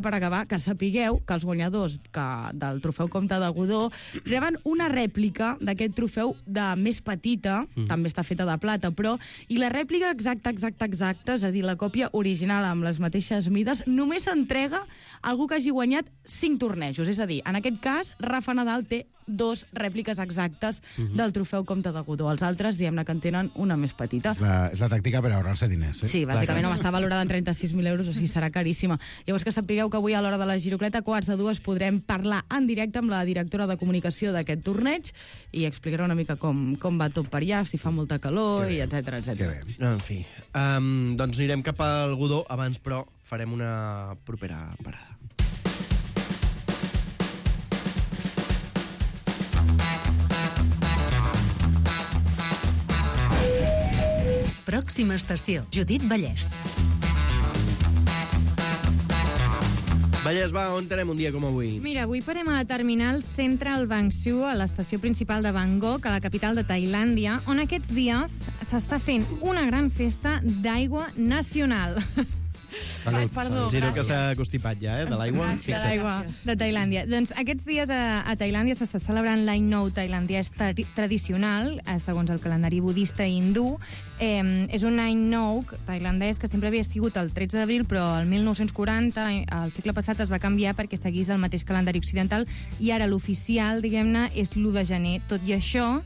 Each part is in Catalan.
per acabar, que sapigueu que els guanyadors del trofeu Comte de Godó reben una rèplica d'aquest trofeu de més petita, també està feta de plata, però, i la rèplica exacta, és a dir, la còpia original amb les mateixes mides, només s'entrega a algú que hagi guanyat 5 tornejos. És a dir, en aquest cas, Rafa Nadal té 2 rèpliques exactes del trofeu Comte de Godó. Els altres, diguem-ne, que en tenen una més petita. És la tàctica per ahorrar-se diners, eh? Sí, bàsicament està valorada en 36.000 euros, o sigui, serà caríssima. Llavors, que sapigueu que avui a l'hora de la Girocleta, 1:45, podrem parlar en directe amb la directora de comunicació d'aquest torneig i explicarà una mica com va tot per allà, si fa molta calor, i etcètera. En fi, doncs anirem cap al Godó. Abans, però, farem una propera parada. Pròxima estació, Judit Vallès. Vallès, va, on tenem un dia com avui? Mira, avui parem a la terminal Central Bang Siu, a l'estació principal de Bangkok, a la capital de Tailàndia, on aquests dies s'està fent una gran festa d'aigua nacional. Salut. Perdó, Giro que s'ha constipat ja, de l'aigua. De l'aigua de Tailàndia. Doncs aquests dies a Tailàndia s'està celebrant l'any nou tailandès tradicional, segons el calendari budista i hindú. És un any nou tailandès que sempre havia sigut el 13 d'abril, però el 1940, al segle passat, es va canviar perquè seguís el mateix calendari occidental i ara l'oficial, diguem-ne, és l'1 de gener. Tot i això,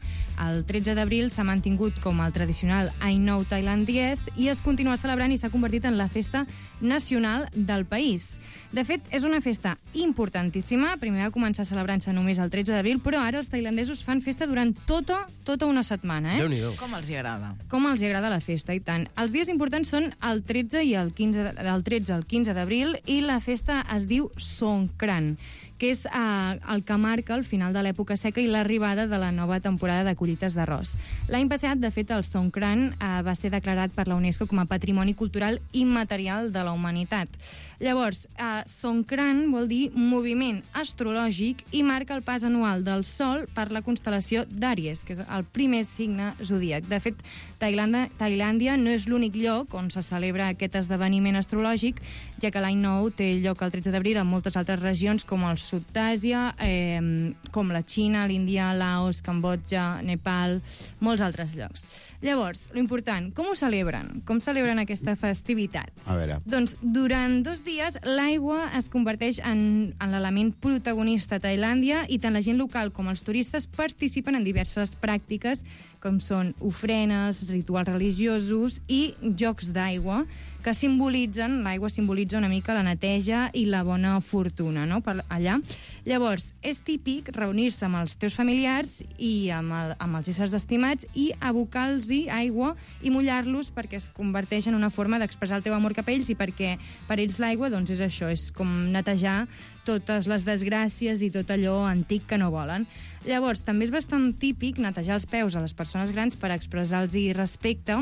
el 13 d'abril s'ha mantingut com el tradicional any nou tailandès i es continua celebrant i s'ha convertit en la festa nacional del país. De fet, és una festa importantíssima. Primer va començar celebrant-se només el 13 d'abril, però ara els tailandesos fan festa durant tota una setmana. Déu-n'hi-do. Com els hi agrada? Com els agrada la festa, i tant. Els dies importants són el 13 i el 15, del 13 al 15 d'abril, i la festa es diu Songkran, que és el que marca el final de l'època seca i l'arribada de la nova temporada de collites d'arròs. L'any passat, de fet, el Songkran va ser declarat per la UNESCO com a Patrimoni Cultural Immaterial de la Humanitat. Llavors, Songkran vol dir moviment astrològic i marca el pas anual del Sol per la constel·lació d'Àries, que és el primer signe zodíac. De fet, Tailàndia no és l'únic lloc on se celebra aquest esdeveniment astrològic, ja que l'any nou té lloc el 13 d'abril en moltes altres regions, com el sud d'Àsia, com la Xina, l'Índia, Laos, Cambodja, Nepal, molts altres llocs. Llavors, l'important, com ho celebren? Com celebren aquesta festivitat? A veure. Doncs durant 2 dies l'aigua es converteix en l'element protagonista a Tailàndia i tant la gent local com els turistes participen en diverses pràctiques com són ofrenes, rituals religiosos i jocs d'aigua que simbolitzen, l'aigua simbolitza una mica la neteja i la bona fortuna, no?, per allà. Llavors, és típic reunir-se amb els teus familiars i amb els éssers estimats i abocar-los aigua i mullar-los perquè es converteix en una forma d'expressar el teu amor cap a ells i perquè per ells l'aigua, doncs és això, és com netejar totes les desgràcies i tot allò antic que no volen. Llavors, també és bastant típic netejar els peus a les persones grans per expressar-los respecte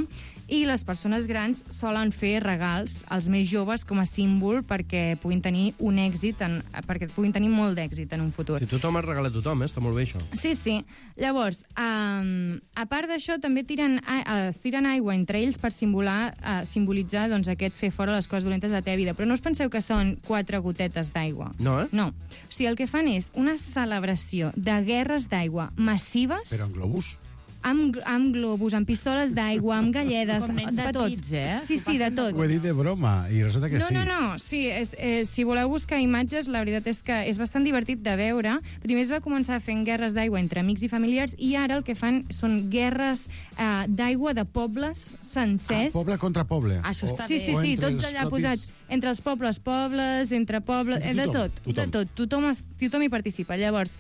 i les persones grans solen fer regals als més joves com a símbol perquè puguin tenir un èxit, perquè puguin tenir molt d'èxit en un futur. I tothom es regala a tothom, està molt bé això. Sí, sí. Llavors, a part d'això, també es tiren aigua entre ells per simbolitzar doncs, aquest fer fora les coses dolentes de la teva vida. Però no us penseu que són 4 gotetes d'aigua. No, eh? No. O sigui, el que fan és una celebració de guerres d'aigua massives. Però en globus? Amb globus, amb pistoles d'aigua, amb galledes, Com nens de tot. petits, eh? Sí, de tot. Ho he dit de broma, i resulta que sí. No. Sí, si voleu buscar imatges, la veritat és que és bastant divertit de veure. Primer es va començar fent guerres d'aigua entre amics i familiars i ara el que fan són guerres d'aigua de pobles sencers. Poble contra poble. Això està Sí, O entre tots els allà propis- posats. Entre els pobles, entre pobles, de tot. Tothom hi participa. Llavors,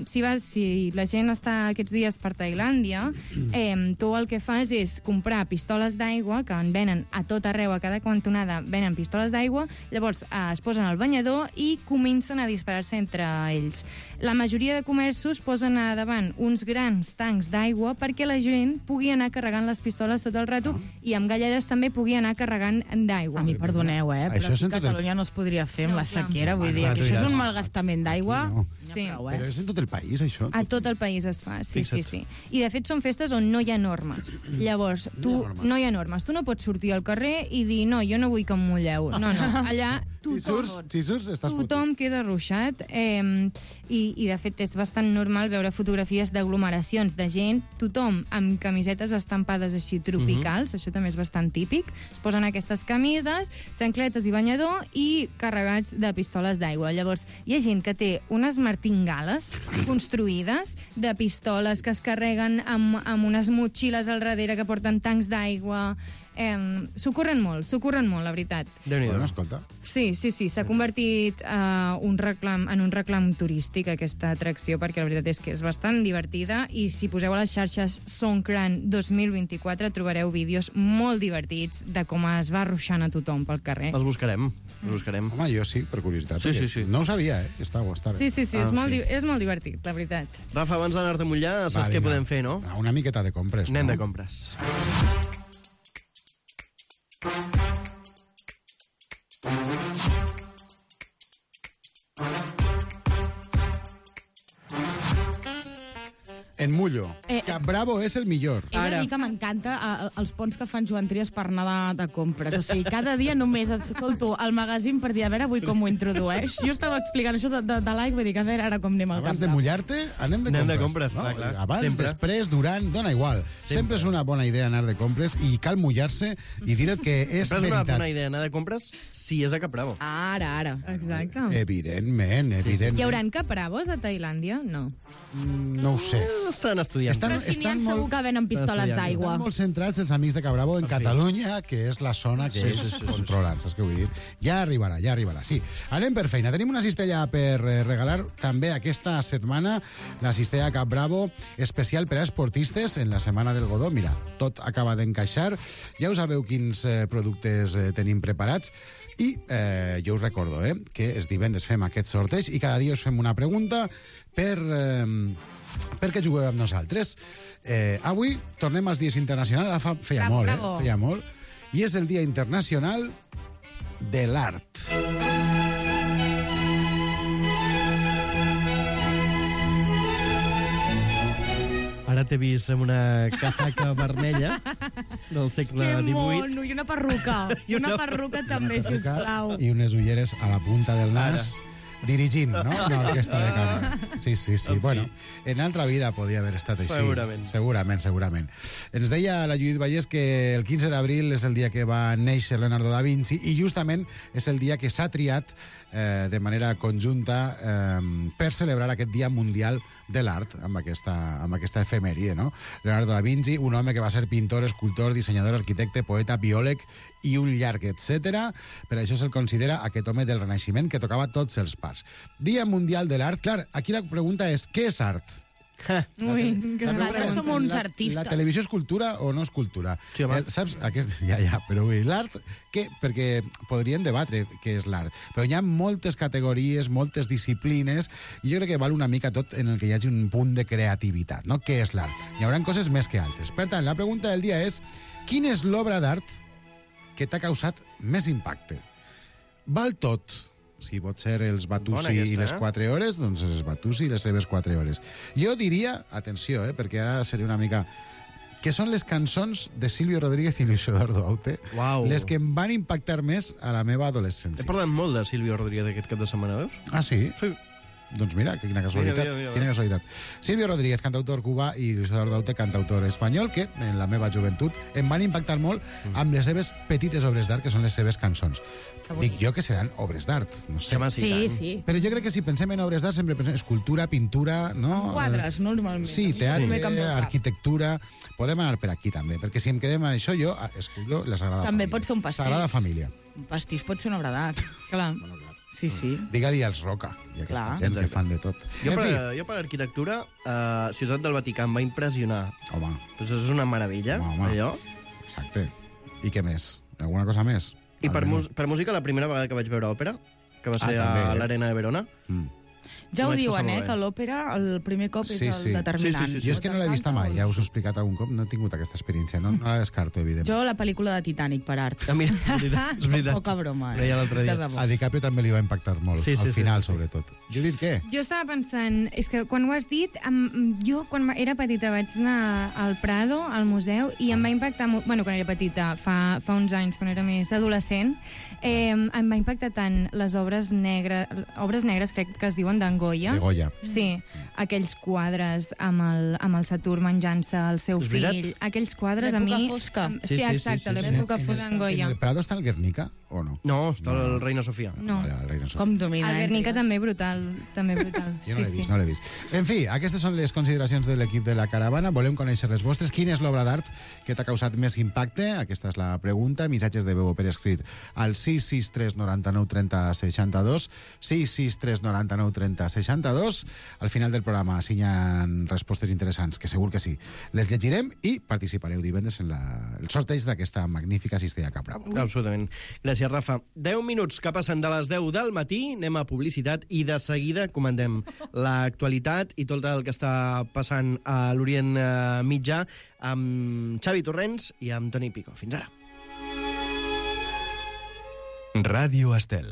si la gent està aquests dies per Tailàndia, tu el que fas és comprar pistoles d'aigua, que en venen a tot arreu, a cada cantonada venen pistoles d'aigua, llavors es posen al banyador i comencen a disparar-se entre ells. La majoria de comerços posen a davant uns grans tancs d'aigua perquè la gent pugui anar carregant les pistoles tot el rato i amb galledes també pugui anar carregant d'aigua. A mi, perdoneu, però Això és aquí en a tot el- Catalunya no es podria fer amb la clar. sequera, vull dir, Clar, que tu això és diràs. un malgastament d'aigua. No. Sí. Però és en tot el país, això? A tot el país es fa, sí. I de fet són festes on no hi ha normes. Llavors, No hi ha normes. no hi ha normes. Tu no pots sortir al carrer i dir, no, jo no vull que em mulleu. No, allà Si surts, estàs Tothom fotut. queda ruixat i de fet és bastant normal veure fotografies d'aglomeracions de gent, tothom amb camisetes estampades així tropicals, això també és bastant típic, es posen aquestes camises, xancletes i banyador i carregats de pistoles d'aigua. Llavors, hi ha gent que té unes martingales construïdes de pistoles que es carreguen amb unes motxilles al darrere que porten tancs d'aigua. S'ho corren molt, la veritat. Déu-n'hi-do. Bueno, escolta. Sí, s'ha convertit en un reclam turístic, aquesta atracció, perquè la veritat és que és bastant divertida i si poseu a les xarxes Songkran 2024 trobareu vídeos molt divertits de com es va ruixant a tothom pel carrer. Els buscarem. Home, jo sí, per curiositat. Sí, perquè sí. No ho sabia, Està bé. Sí, és molt divertit, la veritat. Rafa, abans d'anar-te a mullar, saps què podem fer, no? Una miqueta de compres, Anem no? de compres. En mullo. Cap Bravo és el millor. He de dir que m'encanta els ponts que fan Joan Trias per anar de compres. O sigui, cada dia només escolto el magazín per dir, a veure avui com ho introdueix. Jo estava explicant això de l'aigua i dic, a veure ara com anem al Abans Cap de Bravo. mullar-te, anem de compres. no? Clar. Abans, Sempre. després, durant, dona igual. Sempre és una bona idea anar de compres i cal mullar-se i dir que és Sempre és una veritat. bona idea anar de compres si és a Cap Bravo. Ara. Exacte. Evidentment. Hi haurà Capbravos a Tailàndia? No. No ho sé. Estan estudiant. Però si n'hi ha segur que venen pistoles estudiant. d'aigua. Estan molt centrats els amics de Cabravo en Catalunya, que és la zona que ells controlen, saps què vull dir? Ja arribarà, sí. Anem per feina. Tenim una cistella per regalar també aquesta setmana, la cistella Cap Bravo, especial per a esportistes en la Setmana del Godó. Mira, tot acaba d'encaixar. Ja us sabeu quins productes tenim preparats. I jo us recordo que els divendres fem aquest sorteig i cada dia us fem una pregunta perquè jugueu amb nosaltres. Avui tornem als dies internacionals. Feia molt, feia molt. I és el Dia Internacional de l'Art. Ara t'he vist amb una casaca vermella del segle Que XVIII. mono, i una perruca. I una perruca també, sisplau. I unes ulleres a la punta del nas. Dirigint, no? Una orquestra de cambra. Sí. Bueno, en altra vida podia haver estat així. Segurament. Ens deia la Judit Vallès que el 15 d'abril és el dia que va néixer Leonardo da Vinci i justament és el dia que s'ha triat de manera conjunta per celebrar aquest Dia Mundial de l'Art amb aquesta efemèride, no? Leonardo da Vinci, un home que va ser pintor, escultor, dissenyador, arquitecte, poeta, biòleg i un llarg, etc. Per això se'l considera aquest home del Renaixement que tocava tots els pars. Dia Mundial de l'Art. Clar, aquí la pregunta és, què és art? Nosaltres som uns artistes. La televisió és cultura o no és cultura? Sí, home. Saps? Però l'art, perquè podríem debatre què és l'art, però hi ha moltes categories, moltes disciplines, i jo crec que val una mica tot en el que hi hagi un punt de creativitat, no? Què és l'art? Hi haurà coses més que altres. Per tant, la pregunta del dia és, quina és l'obra d'art que t'ha causat més impacte? Val tot. Si pot ser els Batussi i les 4 hores, doncs els Batussi i les seves 4 hores. Jo diria, atenció, perquè ara seria una mica... que són les cançons de Silvio Rodríguez i Luis Eduardo Aute, les que em van impactar més a la meva adolescència. He parlat molt de Silvio Rodríguez aquest cap de setmana, veus? Ah, sí? Sí. Doncs mira, quina casualitat. Quina casualitat. Silvio Rodríguez, cantautor cubà, i Luis Eduardo Aute, cantautor espanyol, que en la meva joventut em van impactar molt amb les seves petites obres d'art, que són les seves cançons. Dic jo que seran obres d'art, no sé. Sí. Però jo crec que si pensem en obres d'art sempre pensem escultura, pintura, no? Quadres, normalment. Sí, teatre, arquitectura... Podem anar per aquí també, perquè si em quedem a això, jo escullo la Sagrada Família. També pot ser un pastís. Sagrada Família. Un pastís pot ser una obra d'art. Clar. Sí. Digue-li als Roca i aquesta gent que fan de tot. Jo per arquitectura, Ciutat del Vaticà em va impressionar. Home. Doncs és una meravella, allò. Exacte. I què més? Alguna cosa més? I per música, la primera vegada que vaig veure òpera, que va ser a l'Arena de Verona, Ja ho diuen, que l'òpera el primer cop és el determinant. Jo és que no l'he vista mai, ja us ho he explicat algun cop, no he tingut aquesta experiència, no la descarto, evidentment. Jo la pel·lícula de Titanic per art. Mira, és veritat. Poca broma, A DiCaprio també li va impactar molt, al final, sobretot. Judit, què? Jo estava pensant, és que quan ho has dit, jo quan era petita vaig anar al Prado, al museu, i em va impactar molt, bueno, quan era petita, fa uns anys, quan era més adolescent, em va impactar tant les obres negres, crec que es diuen d'en Goya. De Goya. Sí, aquells quadres amb el Saturn menjant-se el seu fill. Aquells quadres a mi... L'època fosca. Sí, exacte, l'època fosca d'en Goya. En el Prado està el Guernica, o no? No, està el Reina Sofia. No. Com domina. El Guernica també brutal. Jo no l'he vist. En fi, aquestes són les consideracions de l'equip de la caravana. Volem conèixer les vostres. Quina és l'obra d'art que t'ha causat més impacte? Aquesta és la pregunta. Missatges de veu per escrit al 663 99 30 62, 663 99 30 62. Al final del programa, si hi ha respostes interessants, que segur que sí, les llegirem i participareu divendres en el sorteig d'aquesta magnífica cistella Capra. Absolutament. Gràcies, Rafa. 10 minuts que passen de les 10 del matí, anem a publicitat i de seguida comandem l'actualitat i tot el que està passant a l'Orient Mitjà amb Xavi Torrents i amb Toni Pico. Fins ara. Ràdio Estel.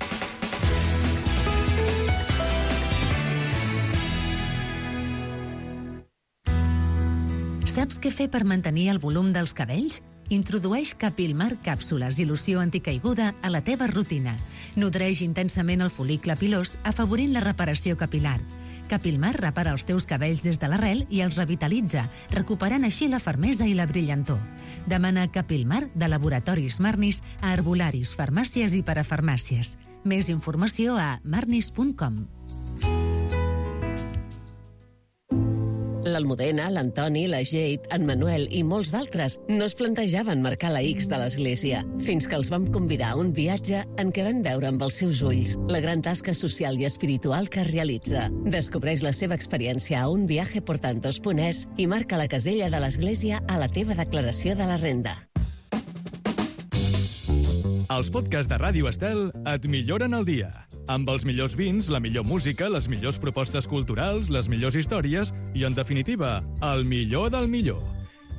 Saps què fer per mantenir el volum dels cabells? Introdueix Capilmar càpsules i loció anticaiguda a la teva rutina. Nodreix intensament el fol·licle pilós, afavorint la reparació capilar. Capilmar repara els teus cabells des de l'arrel i els revitalitza, recuperant així la fermesa i la brillantor. Demana Capilmar de Laboratoris Marnis a herbolaris, farmàcies i parafarmàcies. Més informació a marnis.com. L'Almudena, l'Antoni, la Jade, en Manuel i molts d'altres no es plantejaven marcar la X de l'Església, fins que els vam convidar a un viatge en què van veure amb els seus ulls la gran tasca social i espiritual que realitza. Descobreix la seva experiència a unviajeportantos.es i marca la casella de l'Església a la teva declaració de la renda. Els podcasts de Ràdio Estel et milloren el dia. Amb els millors vins, la millor música, les millors propostes culturals, les millors històries i, en definitiva, el millor del millor.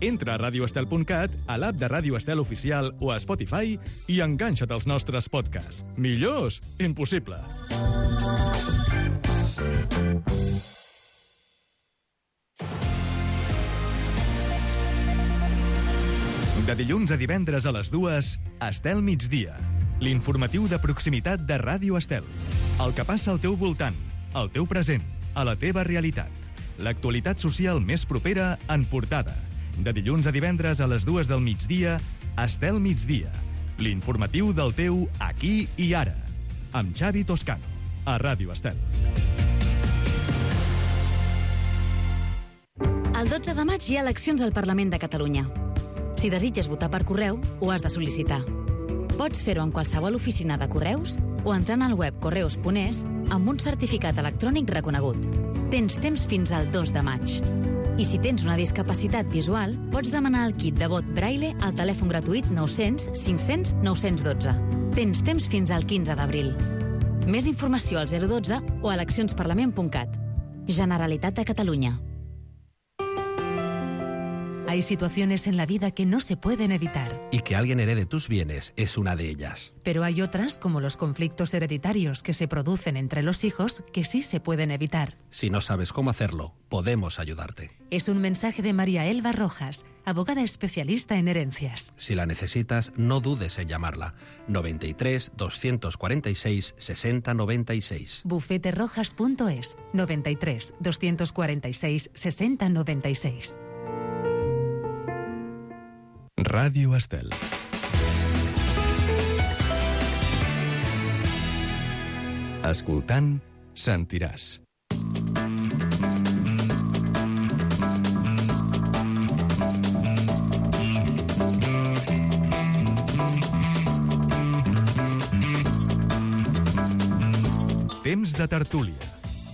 Entra a radioestel.cat, a l'app de Ràdio Estel Oficial o a Spotify i enganxa't als nostres podcasts. Millors? Impossible. De dilluns a divendres a les 2, Estel Migdia. L'informatiu de proximitat de Ràdio Estel. El que passa al teu voltant, al teu present, a la teva realitat. L'actualitat social més propera en portada. De dilluns a divendres a les 2 del migdia, Estel Migdia. L'informatiu del teu aquí i ara. Amb Xavi Toscano, a Ràdio Estel. El 12 de maig hi ha eleccions al Parlament de Catalunya. Si desitges votar per correu, ho has de sol·licitar. Pots fer-ho en qualsevol oficina de correus o entrant al web correus.es amb un certificat electrònic reconegut. Tens temps fins al 2 de maig. I si tens una discapacitat visual, pots demanar el kit de vot Braille al telèfon gratuït 900 500 912. Tens temps fins al 15 d'abril. Més informació al 012 o a eleccionsparlament.cat. Generalitat de Catalunya. Hay situaciones en la vida que no se pueden evitar. Y que alguien herede tus bienes es una de ellas. Pero hay otras, como los conflictos hereditarios que se producen entre los hijos, que sí se pueden evitar. Si no sabes cómo hacerlo, podemos ayudarte. Es un mensaje de María Elba Rojas, abogada especialista en herencias. Si la necesitas, no dudes en llamarla. 93 246 60 96. Bufeterojas.es 93 246 60 96. Ràdio Estel. Escoltant, sentiràs. Temps de tertúlia.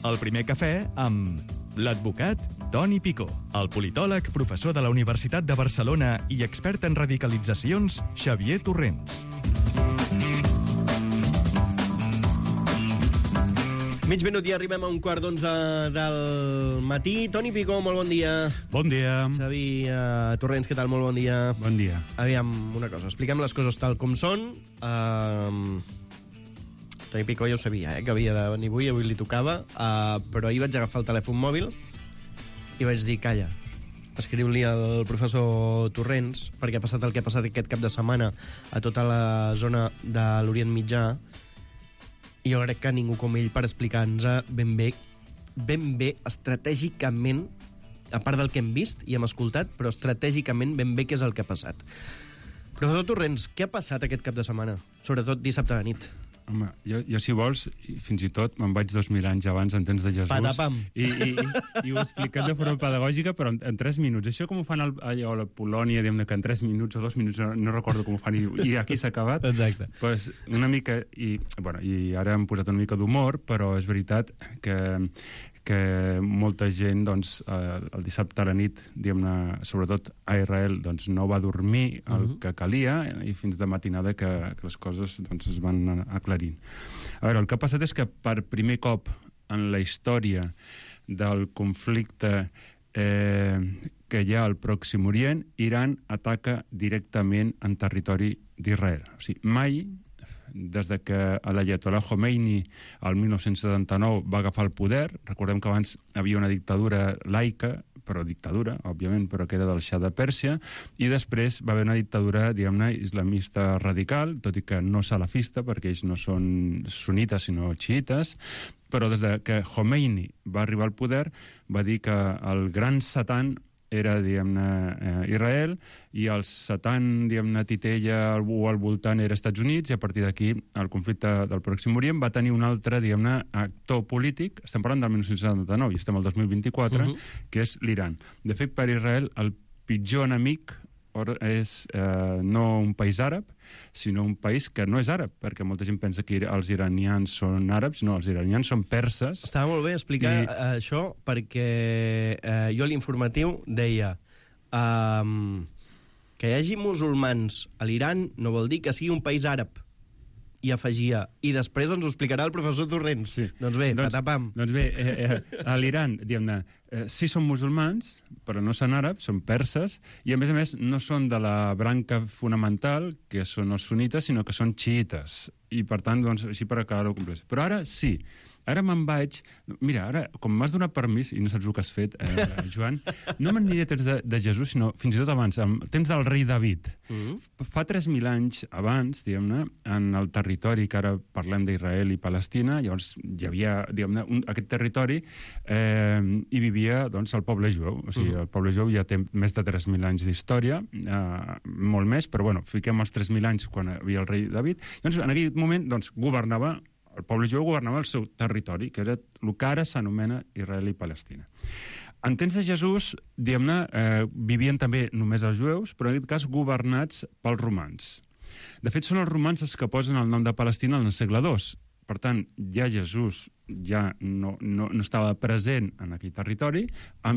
El primer cafè amb l'advocat Toni Pico, el politòleg, professor de la Universitat de Barcelona i expert en radicalitzacions, Xavier Torrents. Mig minut i arribem a 11:15 del matí. Toni Picó, molt bon dia. Bon dia. Xavi Torrents, què tal? Molt bon dia. Bon dia. Aviam, una cosa, expliquem les coses tal com són. Toni Picó ja ho sabia, que havia de venir avui li tocava, però ahir vaig agafar el telèfon mòbil i vaig dir, calla, escriu-li al professor Torrents, perquè ha passat el que ha passat aquest cap de setmana a tota la zona de l'Orient Mitjà, i jo crec que ningú com ell per explicar-nos ben bé, estratègicament, a part del que hem vist i hem escoltat, però estratègicament ben bé què és el que ha passat. Professor Torrents, què ha passat aquest cap de setmana? Sobretot dissabte de nit. Home, jo si vols, fins i tot me'n vaig 2000 anys abans en temps de Jesús. Patapam. I ho he explicat de forma pedagògica, però en 3 minuts. Això com ho fan a la Polònia, diguem-ne que en 3 minuts o 2 minuts, no recordo com ho fan, i aquí s'ha acabat. Exacte. Pues una mica, i ara hem posat una mica d'humor, però és veritat que molta gent, doncs, el dissabte a la nit, diguem-ne, sobretot a Israel, doncs, no va dormir el que calia, i fins de matinada que les coses doncs, es van aclarint. A veure, el que ha passat és que per primer cop en la història del conflicte que hi ha al Pròxim Orient, Iran ataca directament en territori d'Israel. O sigui, mai, des de que l'Ayatollah Khomeini el 1979 va agafar el poder, recordem que abans havia una dictadura laica, però dictadura, òbviament, però que era del Shah de Pèrsia, i després va haver una dictadura, diguem-ne, islamista radical, tot i que no salafista, perquè ells no són sunites, sinó xiites, però des de que Khomeini va arribar al poder, va dir que el gran satan era, diguem-ne, Israel, i el satan, diguem-ne, titella al voltant era Estats Units, i a partir d'aquí el conflicte del Pròxim Orient va tenir un altre, diguem-ne, actor polític, estem parlant del 1979 i estem al 2024, que és l'Iran. De fet, per Israel, el pitjor enemic és no un país àrab, sinó un país que no és àrab, perquè molta gent pensa que els iranians són àrabs. No, els iranians són perses. Estava molt bé explicar això, perquè jo a l'informatiu deia que hi hagi musulmans a l'Iran no vol dir que sigui un país àrab. I afegia, i després ens ho explicarà el professor Torrents. Sí. Doncs bé, patapam. Doncs bé, a l'Iran, diguem-ne, sí són musulmans, però no són àrabs, són perses, i a més no són de la branca fonamental, que són els sunites, sinó que són xiites. I per tant, doncs, així per acabar-ho complet. Però ara sí, ara me'n vaig... Mira, ara, com m'has donat permís, i no saps el que has fet, Joan, no m'aniré a temps de Jesús, sinó fins i tot abans, al temps del rei David. Fa 3.000 anys abans, diguem-ne, en el territori, que ara parlem d'Israel i Palestina, llavors hi havia, diguem-ne, aquest territori, hi vivia, doncs, el poble jueu. O sigui, el poble jueu ja té més de 3.000 anys d'història, molt més, però, bueno, fiquem els 3.000 anys quan hi havia el rei David. Llavors, en aquell moment, doncs, el poble jueu governava el seu territori, que era el que ara s'anomena Israel i Palestina. En temps de Jesús, diguem-ne, vivien també només els jueus, però en aquest cas governats pels romans. De fet, són els romans els que posen el nom de Palestina en el segle II. Per tant, ja Jesús ja no estava present en aquell territori.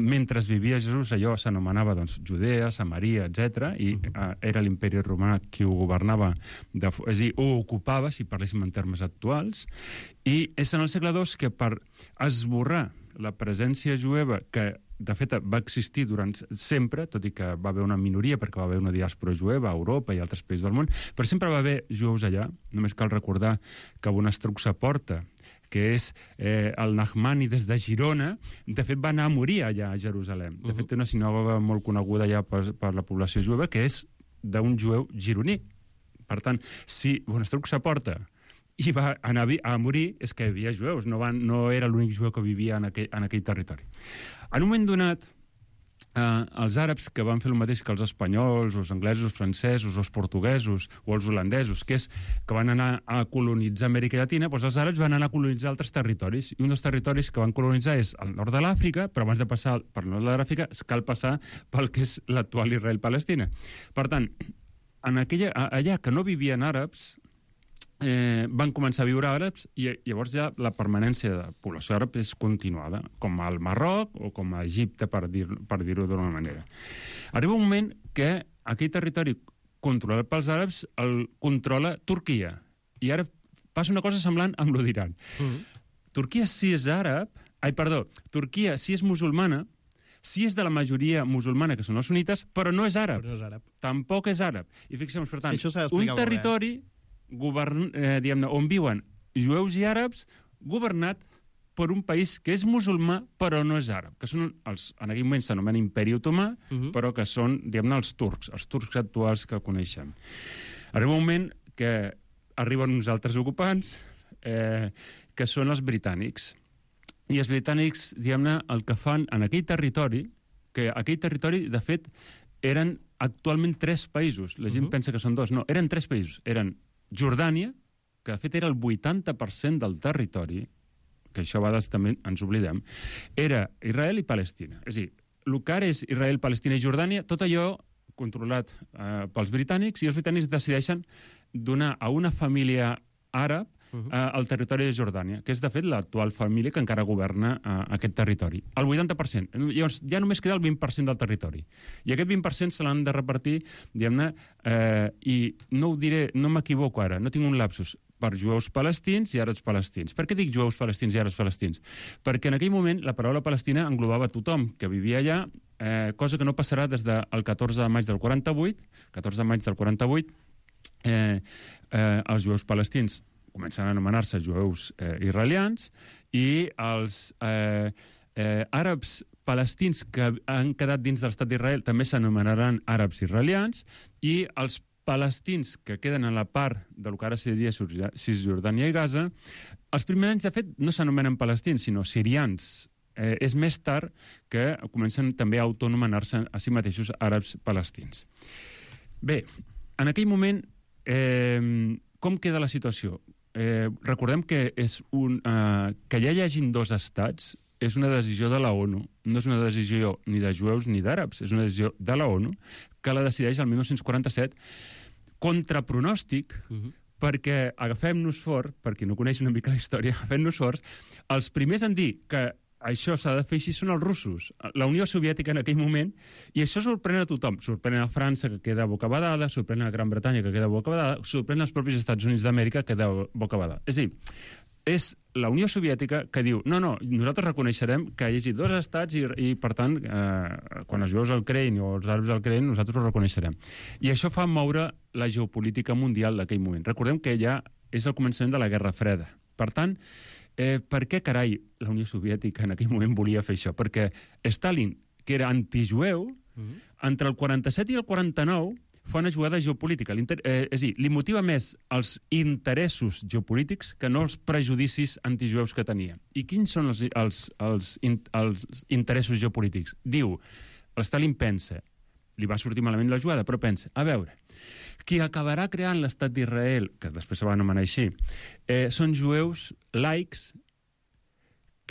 Mentre vivia Jesús, allò s'anomenava doncs, Judea, Samaria, etc. I era l'imperi romà qui ho governava, és a dir, ho ocupava, si parléssim en termes actuals. I és en el segle II que per esborrar la presència jueva, que de fet va existir durant sempre, tot i que va haver una minoria, perquè va haver una diàspora jueva a Europa i altres països del món, però sempre va haver jueus allà. Només cal recordar que Bonastrucsa Porta, que és el Nahmani des de Girona, de fet va anar a morir allà a Jerusalem. De fet té una sinagoga molt coneguda allà per la població jueva, que és d'un jueu gironí. Per tant, si Bonastrucsa Porta i va anar a morir, és que hi havia jueus, no era l'únic jueu que vivia en aquell territori. En un moment donat, els àrabs, que van fer el mateix que els espanyols, els anglesos, els francesos, els portuguesos o els holandesos, que van anar a colonitzar Amèrica Llatina, doncs els àrabs van anar a colonitzar altres territoris, i un dels territoris que van colonitzar és el nord de l'Àfrica, però abans de passar per el nord de l'Àfrica cal passar pel que és l'actual Israel-Palestina. Per tant, allà que no vivien àrabs, van començar a viure àrabs, i llavors ja la permanència de població àrab és continuada, com al Marroc o com a Egipte, per dir-ho d'una manera. Arriba un moment que aquell territori controlat pels àrabs el controla Turquia, i ara passa una cosa semblant amb lo d'Iran. Turquia sí és àrab, Turquia sí és musulmana, sí és de la majoria musulmana, que són els sunites, però no és àrab. Però no és àrab. Tampoc és àrab. I fixem-nos, per tant, Això s'ha d'explicar un territori diguem-ne, on viuen jueus i àrabs, governat per un país que és musulmà però no és àrab, que són en aquell moment s'anomena Imperi Otomà, però que són, diguem-ne, els turcs actuals que coneixem. Arriba un moment que arriben uns altres ocupants, que són els britànics. I els britànics, diguem-ne, el que fan en aquell territori, que aquell territori, de fet, eren actualment 3 països. La gent pensa que són 2. No, eren 3 països. Eren Jordània, que de fet era el 80% del territori, que això a vegades també ens oblidem, era Israel i Palestina. És a dir, el que ara és Israel, Palestina i Jordània, tot allò controlat pels britànics, i els britànics decideixen donar a una família àrab al territori de Jordània, que és, de fet, l'actual família que encara governa aquest territori. El 80%. Llavors, ja només queda el 20% del territori. I aquest 20% se l'han de repartir, diguem-ne, i no ho diré, no m'equivoco ara, no tinc un lapsus, per jueus palestins i àrabs palestins. Per què dic jueus palestins i àrabs palestins? Perquè en aquell moment la paraula Palestina englobava tothom que vivia allà, cosa que no passarà des del 14 de maig del 48. 14 de maig del 48, els jueus palestins comencen a anomenar-se jueus israelians i els àrabs palestins que han quedat dins de l'estat d'Israel també s'anomenaran àrabs israelians i els palestins que queden a la part del que ara seria Cisjordània i Gaza, els primers anys, de fet, no s'anomenen palestins, sinó sirians. És més tard que comencen també a autonomenar-se a si mateixos àrabs palestins. Bé, en aquell moment, com queda la situació? Recordem que que ja hi hagin 2 estats és una decisió de la ONU, no és una decisió ni de jueus ni d'àrabs, és una decisió de la ONU que la decideix el 1947 contra pronòstic, perquè agafem-nos fort, per qui no coneix una mica la història, agafem-nos forts, els primers en dir que això s'ha de fer així són els russos, la Unió Soviètica en aquell moment, i això sorprèn a tothom. Sorprèn a França, que queda bocabadada, sorprèn a Gran Bretanya, que queda bocabadada, sorprèn als propis Estats Units d'Amèrica, que queda bocabadada. És a dir, és la Unió Soviètica que diu no, nosaltres reconeixerem que hi hagi 2 estats i per tant, quan els jueus el creïn o els àrabs el creïn, nosaltres ho reconeixerem. I això fa moure la geopolítica mundial d'aquell moment. Recordem que ja és el començament de la Guerra Freda. Per tant, per què carai la Unió Soviètica en aquell moment volia fer això? Perquè Stalin, que era antijueu, entre el 47 i el 49 fa una jugada geopolítica. És a dir, li motiva més els interessos geopolítics que no els prejudicis antijueus que tenia. I quins són els interessos geopolítics? Diu, Stalin pensa, li va sortir malament la jugada, però pensa, a veure, qui acabarà creant l'estat d'Israel, que després se va anomenar així, són jueus laics,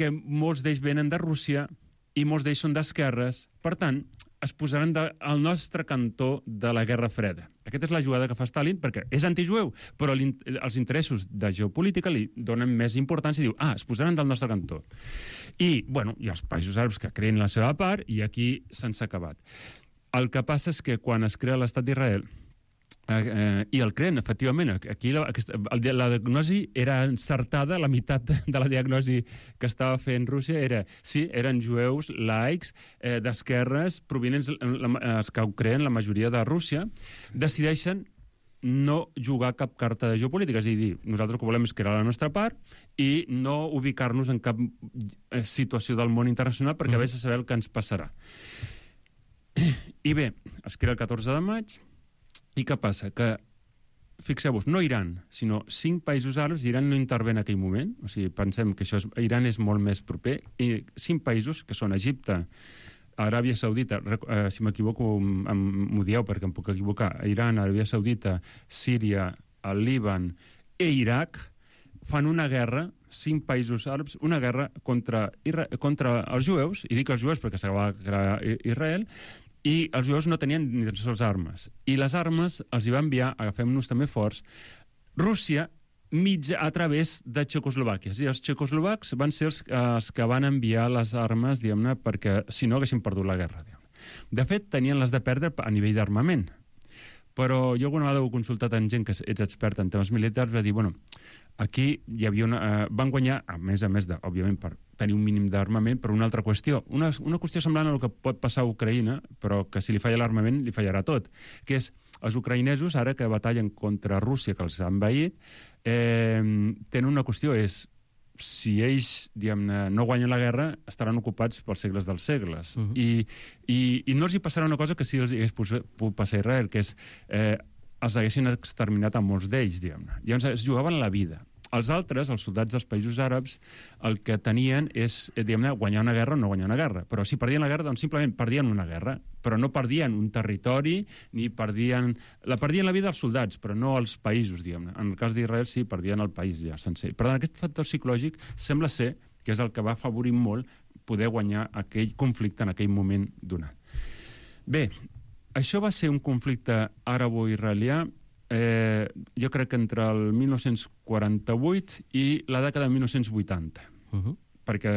que molts d'ells venen de Rússia i molts d'ells són d'esquerres. Per tant, es posaran al nostre cantó de la Guerra Freda. Aquesta és la jugada que fa Stalin, perquè és antijueu, però els interessos de geopolítica li donen més importància i diu, es posaran del nostre cantó. I, bueno, hi ha els països àrabs que creen la seva part i aquí se'n s'ha acabat. El que passa és que quan es crea l'estat d'Israel, i el creen, efectivament, aquí la diagnosi era encertada, la meitat de la diagnosi que estava fent Rússia era, sí, eren jueus laics, d'esquerres, provinents, els que ho creen, la majoria de Rússia, decideixen no jugar cap carta de geopolítica, és a dir, nosaltres el que volem és crear la nostra part i no ubicar-nos en cap situació del món internacional perquè a vés a saber el que ens passarà. I bé, es crea el 14 de maig, i què passa? Que, fixeu-vos, no Iran, sinó 5 països àrabs, Iran no intervé en aquell moment, o sigui, pensem que Iran és molt més proper, i 5 països, que són Egipte, Aràbia Saudita, si m'equivoco m'ho dieu perquè em puc equivocar, Iran, Aràbia Saudita, Síria, el Líban i Iraq, fan una guerra, 5 països àrabs, una guerra contra els jueus, i dic els jueus perquè s'acaba de crear Israel, i els jueus no tenien ni tan sols armes. I les armes els hi va enviar, agafem-nos també forts, Rússia a través de Txecoslovàquia. És a dir, els txecoslovacs van ser els que van enviar les armes, diguem-ne, perquè si no haguessin perdut la guerra. De fet, tenien les de perdre a nivell d'armament. Però jo alguna vegada ho he consultat amb gent que ets expert en temes militars, va dir, bueno, aquí hi havia van guanyar, a més, òbviament, per tenir un mínim d'armament, per una altra qüestió. Una qüestió semblant a el que pot passar a Ucraïna, però que si li falla l'armament, li fallarà tot, que és els ucraïnesos, ara que batallen contra Rússia, que els ha envaït, tenen una qüestió, és si ells, diguem-ne, no guanyen la guerra, estaran ocupats pels segles dels segles. I no els hi passarà una cosa que sí els hagués pogut passar a Israel, que és els haguessin exterminat a molts d'ells, diguem-ne. Llavors es jugaven la vida. Els altres, els soldats dels països àrabs, el que tenien és, diguem-ne, guanyar una guerra o no guanyar una guerra. Però si perdien la guerra, doncs simplement perdien una guerra, però no perdien un territori, ni perdien la vida dels soldats, però no els països, diguem-ne. En el cas d'Israel sí, perdien el país ja sencer. Per tant, aquest factor psicològic sembla ser que és el que va afavorir molt poder guanyar aquell conflicte en aquell moment donat. Bé, això va ser un conflicte àrabo-israelià jo crec que entre el 1948 i la dècada de 1980. Perquè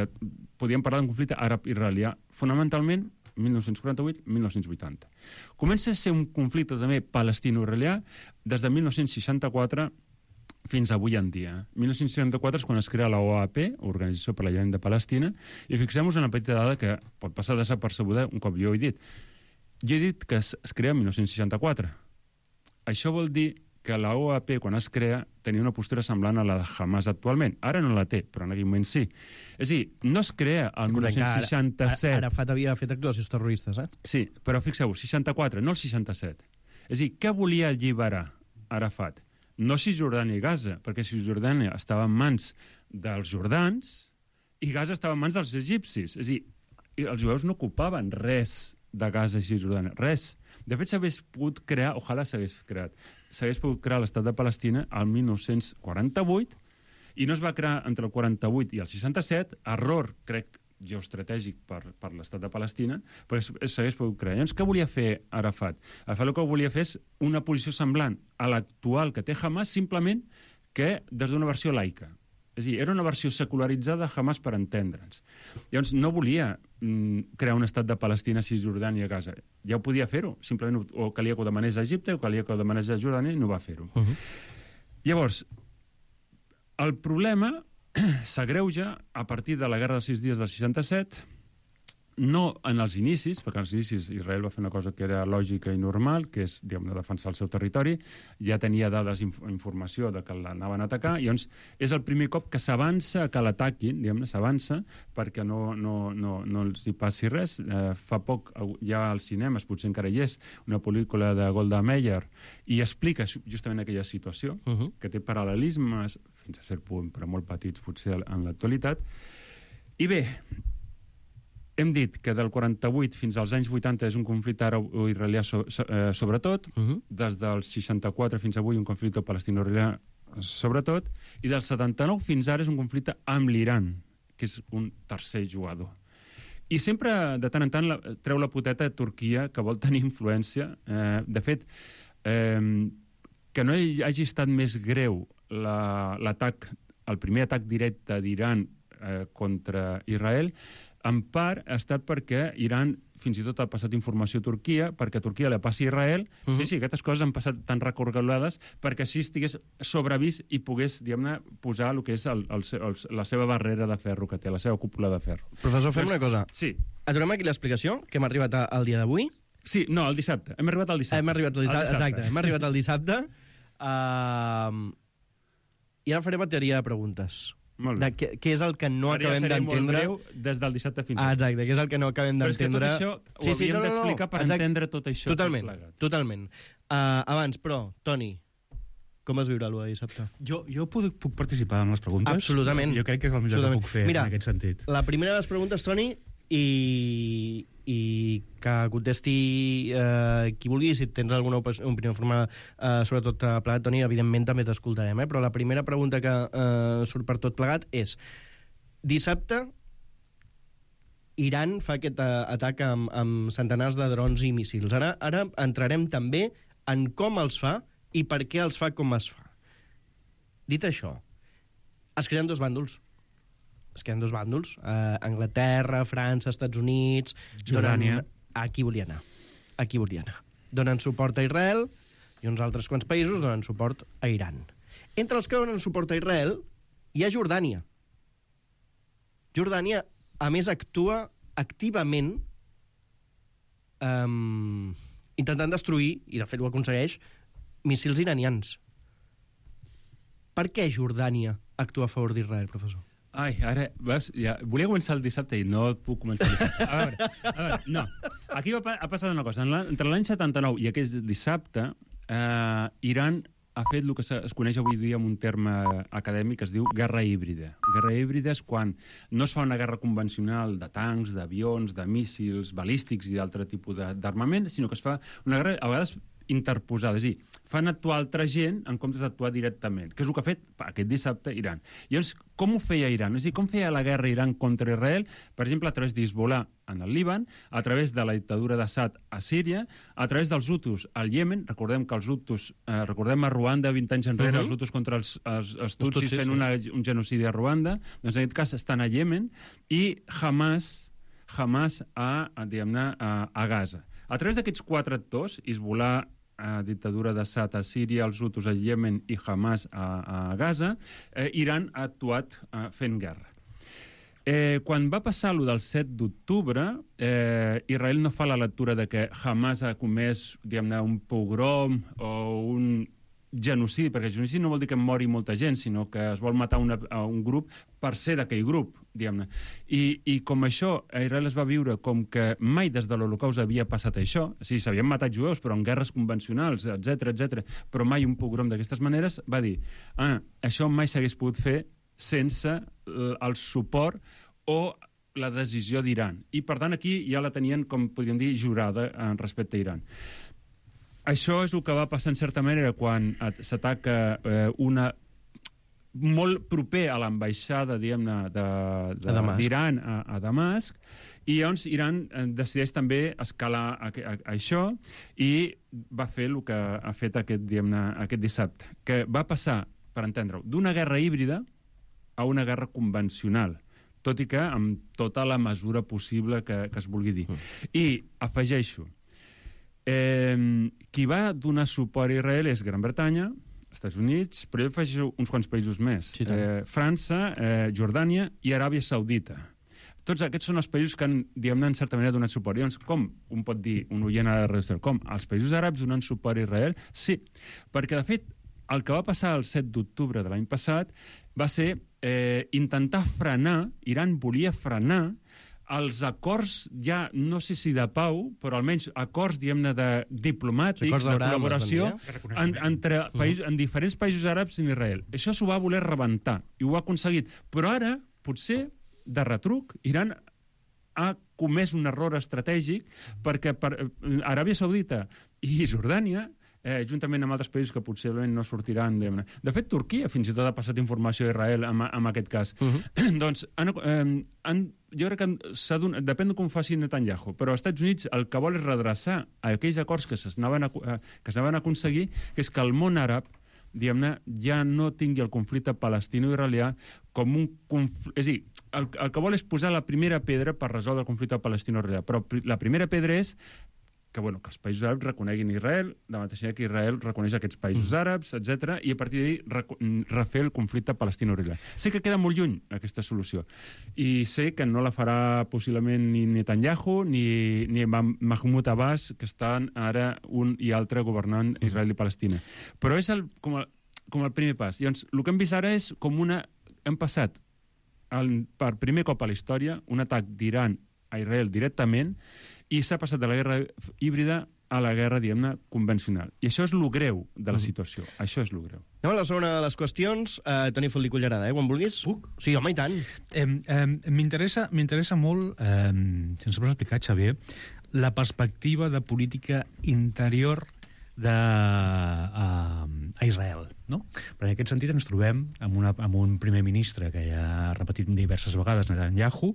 podíem parlar d'un conflicte àrab-israelià, fonamentalment 1948-1980. Comença a ser un conflicte també palestino-israelià des de 1964 fins avui en dia. 1964 és quan es crea la OAP, Organització per la Llengua de Palestina, i fixem-nos en una petita dada que pot passar desapercebuda un cop jo he dit. Jo he dit que es crea en 1964. Això vol dir que la OAP, quan es crea, tenia una postura semblant a la de Hamas actualment. Ara no la té, però en aquell moment sí. És a dir, no es crea el 1967... Arafat havia fet actuacions terroristes, Sí, però fixeu-vos, 64, no el 67. És a dir, què volia alliberar Arafat? No Cisjordània i Gaza, perquè Cisjordània estava en mans dels jordans i Gaza estava en mans dels egipcis. És a dir, els jueus no ocupaven res de Gaza i Cisjordània, res. De fet, s'hagués pogut crear, ojalà s'hagués pogut crear l'estat de Palestina al 1948 i no es va crear entre el 48 i el 67, error, crec, geoestratègic per l'estat de Palestina, perquè s'hagués pogut crear. Llavors, què volia fer Arafat? Arafat el que volia fer és una posició semblant a l'actual que té Hamas, simplement que des d'una versió laica. És a dir, era una versió secularitzada de Hamas per entendre'ns. Llavors, no volia crear un estat de Palestina, Cisjordània i Gaza. Ja ho podia fer-ho, simplement o calia que ho demanés a Egipte o calia que ho demanés a Jordània i no va fer-ho. Llavors, el problema s'agreuja a partir de la Guerra dels 6 dies del 67, no en els inicis, perquè als inicis Israel va fer una cosa que era lògica i normal, que és, diguem-ne, defensar el seu territori, ja tenia dades i informació de que l'anaven a atacar, i llavors és el primer cop que s'avança que l'ataquin, diguem-ne, s'avança perquè no els hi passi res. Fa poc hi ha als cinemes, potser encara hi és, una pel·lícula de Golda Meir, i explica justament aquella situació, que té paral·lelismes, fins a cert punt, però molt petits potser en l'actualitat. I bé, hem dit que del 48 fins als anys 80 és un conflicte àrab-israelià sobretot, des del 64 fins avui un conflicte palestino-israelià sobretot, i del 79 fins ara és un conflicte amb l'Iran, que és un tercer jugador. I sempre, de tant en tant, treu la poteta de Turquia, que vol tenir influència. De fet, que no hagi estat més greu l'atac, el primer atac directe d'Iran contra Israel, en part ha estat perquè Iran fins i tot ha passat informació a Turquia, perquè Turquia la passi a Israel. Sí, aquestes coses han passat tan recorgolades perquè així estigués sobrevist i pogués, diguem-ne, posar el que és la seva barrera de ferro que té, la seva cúpula de ferro. Professor, fem una cosa. Sí. Aturem aquí l'explicació, que hem arribat al dia d'avui. Sí, no, el dissabte. Hem arribat al dissabte. Exacte, hem arribat al dissabte. I ara farem bateria de preguntes. Molt bé. Què és el que no acabem d'entendre... Molt greu des del dissabte fins ara. Exacte, què és el que no acabem d'entendre... Però és que tot això ho havíem d'explicar per entendre tot això. Totalment. Abans, però, Toni, com es viurà l'1 de dissabte? Jo puc participar en les preguntes? Absolutament. Jo crec que és el millor que puc fer en aquest sentit. La primera de les preguntes, Toni, i que contesti qui vulgui, si tens alguna opinió formada sobretot plegat, Toni, evidentment també t'escoltarem, però la primera pregunta que surt per tot plegat és: dissabte Iran fa aquest atac amb centenars de drons i míssils. Ara entrarem també en com els fa i per què els fa com es fa. Dit això, es creen dos bàndols. Anglaterra, França, Estats Units... Jordània. Aquí volia anar. Donen suport a Israel, i uns altres quants països donen suport a Iran. Entre els que donen suport a Israel hi ha Jordània. Jordània, a més, actua activament intentant destruir, i de fet ho aconsegueix, míssils iranians. Per què Jordània actua a favor d'Israel, professor? Ai, ara, veus, ja, volia començar el dissabte i no puc començar el dissabte. A veure, no. Aquí ha passat una cosa. Entre l'any 79 i aquest dissabte, Iran ha fet el que es coneix avui dia amb un terme acadèmic que es diu guerra híbrida. Guerra híbrida és quan no es fa una guerra convencional de tancs, d'avions, de míssils balístics i d'altre tipus d'armament, sinó que es fa una guerra, a vegades, interposada. És a dir, fan actuar altra gent en comptes d'actuar directament, que és el que ha fet aquest dissabte Iran. Llavors, com ho feia Iran? És a dir, com feia la guerra Iran contra Israel? Per exemple, a través d'Hezbollah en el Líban, a través de la dictadura d'Assad a Síria, a través dels Hutus al Iemen. Recordem que els Hutus, recordem a Ruanda 20 anys enrere, els Hutus contra els Tutsis fent un genocidi a Ruanda. Doncs en aquest cas estan a Iemen, i Hamas a Gaza. A través d'aquests quatre actors, Hezbollah, dictadura d'Assad a Síria, els Hutus a Iemen i Hamas a Gaza, Iran ha actuat fent guerra. Quan va passar allò del 7 d'octubre, Israel no fa la lectura de que Hamas ha comès, diguem-ne, un pogrom o un genocidi, perquè genocidi no vol dir que mori molta gent, sinó que es vol matar un grup per ser d'aquell grup, diguem-ne. I com això, Israel es va viure com que mai des de l'Holocaust havia passat això, o sigui, s'havien matat jueus, però en guerres convencionals, etc, però mai un pogrom d'aquestes maneres, va dir, això mai s'hagués pogut fer sense el suport o la decisió d'Iran. I, per tant, aquí ja la tenien, com podríem dir, jurada respecte a Iran. Això és el que va passar, en certa manera, quan s'ataca una molt proper a l'ambaixada, diguem-ne, d'Iran a Damasc, i llavors Iran decideix també escalar això i va fer el que ha fet aquest dissabte, que va passar, per entendre-ho, d'una guerra híbrida a una guerra convencional, tot i que amb tota la mesura possible que es vulgui dir. I afegeixo, qui va donar suport a Israel és Gran Bretanya, Estats Units, però jo afegeixo uns quants països més. Sí, França, Jordània i Aràbia Saudita. Tots aquests són els països que han, diguem-ne, en certa manera donat suport. Llavors, com un pot dir, un oient a la ràdio, com els països àrabs donant suport a Israel? Sí, perquè, de fet, el que va passar el 7 d'octubre de l'any passat va ser intentar frenar, Iran volia frenar els acords, ja no sé si de pau, però almenys acords, diguem-ne, diplomàtics, de col·laboració en diferents països àrabs i Israel. Això s'ho va voler rebentar, i ho ha aconseguit. Però ara, potser, de retruc, Iran ha comès un error estratègic perquè Aràbia Saudita i Jordània, juntament amb altres països que possiblement no sortiran. De fet, Turquia fins i tot ha passat informació a Israel en aquest cas. Doncs, jo crec que depèn de com faci Netanyahu, però als Estats Units el que vol és redreçar aquells acords que s'anaven a aconseguir, que és que el món àrab, diguem-ne, ja no tingui el conflicte palestino-israelià com un conflicte. És a dir, el que vol és posar la primera pedra per resoldre el conflicte palestino-israelià, però la primera pedra és que els països àrabs reconeguin Israel, de mateixa que Israel reconeix aquests països àrabs, etc., i a partir d'ahir refer el conflicte palestino-israelià. Sé que queda molt lluny aquesta solució, i sé que no la farà possiblement ni Netanyahu ni Mahmoud Abbas, que estan ara un i altre governant Israel i Palestina. Però és com el primer pas. Llavors, el que hem vist ara és com hem passat per primer cop a la història un atac d'Iran a Israel directament, i s'ha passat de la guerra híbrida a la guerra, diguem-ne, convencional. I això és el greu de la situació. Això és el greu. Anem a la segona de les qüestions. Toni Faldí Cullerada, quan vulguis. Puc? Sí, home, i tant. M'interessa molt, si ens pots explicar, Xavier, la perspectiva de política interior a Israel. no? Però en aquest sentit ens trobem amb un primer ministre que ja ha repetit diverses vegades, Netanyahu,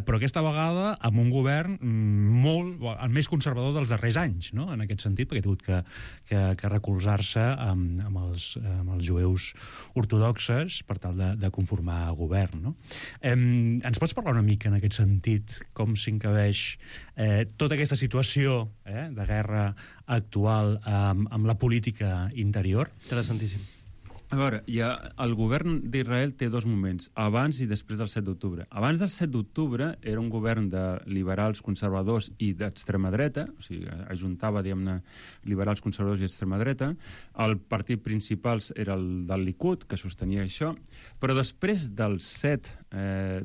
però aquesta vegada amb un govern el més conservador dels darrers anys, no? En aquest sentit, perquè ha hagut que recolzar-se amb els jueus ortodoxes per tal de conformar govern, no? Ens pots parlar una mica en aquest sentit com s'encabeix tota aquesta situació de guerra actual amb la política interior? Interessantíssim. A veure, el govern d'Israel té dos moments, abans i després del 7 d'octubre. Abans del 7 d'octubre era un govern de liberals conservadors i d'extrema dreta, o sigui, ajuntava, diguem-ne, liberals conservadors i extrema dreta. El partit principal era el del Likud, que sostenia això, però després del 7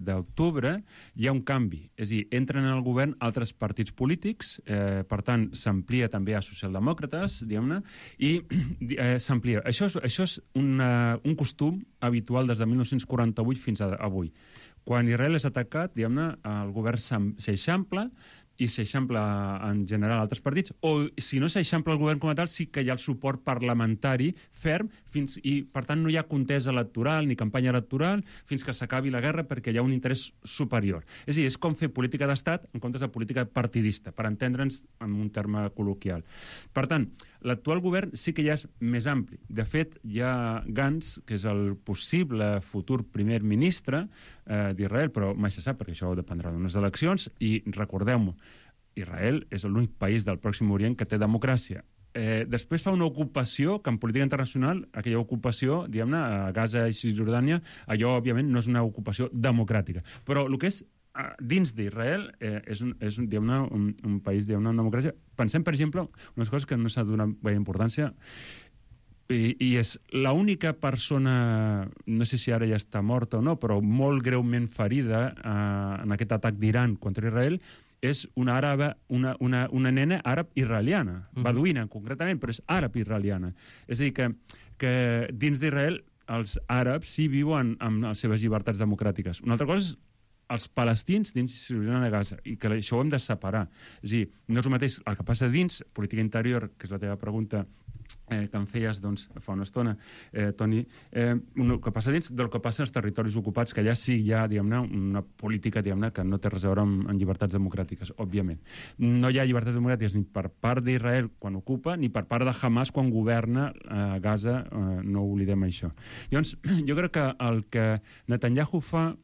d'octubre hi ha un canvi. És a dir, entren en el govern altres partits polítics, per tant, s'amplia també a socialdemòcrates, diguem-ne, i s'amplia. Això és un costum habitual des de 1948 fins a avui. Quan Israel és atacat, diguem-ne, el govern s'eixampla i s'eixampla en general altres partits, o si no s'eixampla el govern com a tal, sí que hi ha el suport parlamentari ferm, i per tant no hi ha contesa electoral ni campanya electoral fins que s'acabi la guerra perquè hi ha un interès superior. És a dir, és com fer política d'estat en comptes de política partidista, per entendre'ns en un terme col·loquial. Per tant, l'actual govern sí que ja és més ampli. De fet, hi ha Gantz, que és el possible futur primer ministre d'Israel, però mai se sap perquè això dependrà d'unes eleccions, i recordeu-m'ho, Israel és l'únic país del Pròxim Orient que té democràcia. Després fa una ocupació, que en política internacional, aquella ocupació, diguem-ne, a Gaza i Cisjordània, allò, òbviament, no és una ocupació democràtica. Però el que és dins d'Israel és diguem-ne, un país, diguem-ne, en democràcia. Pensem, per exemple, unes coses que no s'ha donat gaire importància, i és l'única persona, no sé si ara ja està morta o no, però molt greument ferida en aquest atac d'Iran contra Israel, és una nena àrab-israeliana, beduïna concretament, però és àrab-israeliana. És a dir, que dins d'Israel els àrabs sí viuen amb les seves llibertats democràtiques. Una altra cosa és els palestins dins de Gaza, i que això ho hem de separar. És a dir, no és el mateix el que passa dins, política interior, que és la teva pregunta que em feies fa una estona, Toni, el que passa dins del que passa als territoris ocupats, que allà sí hi ha, diguem-ne, una política, diguem-ne, que no té res a veure amb llibertats democràtiques, òbviament. No hi ha llibertats democràtiques ni per part d'Israel quan ocupa, ni per part de Hamas quan governa a Gaza, no oblidem això. Llavors, jo crec que el que Netanyahu fa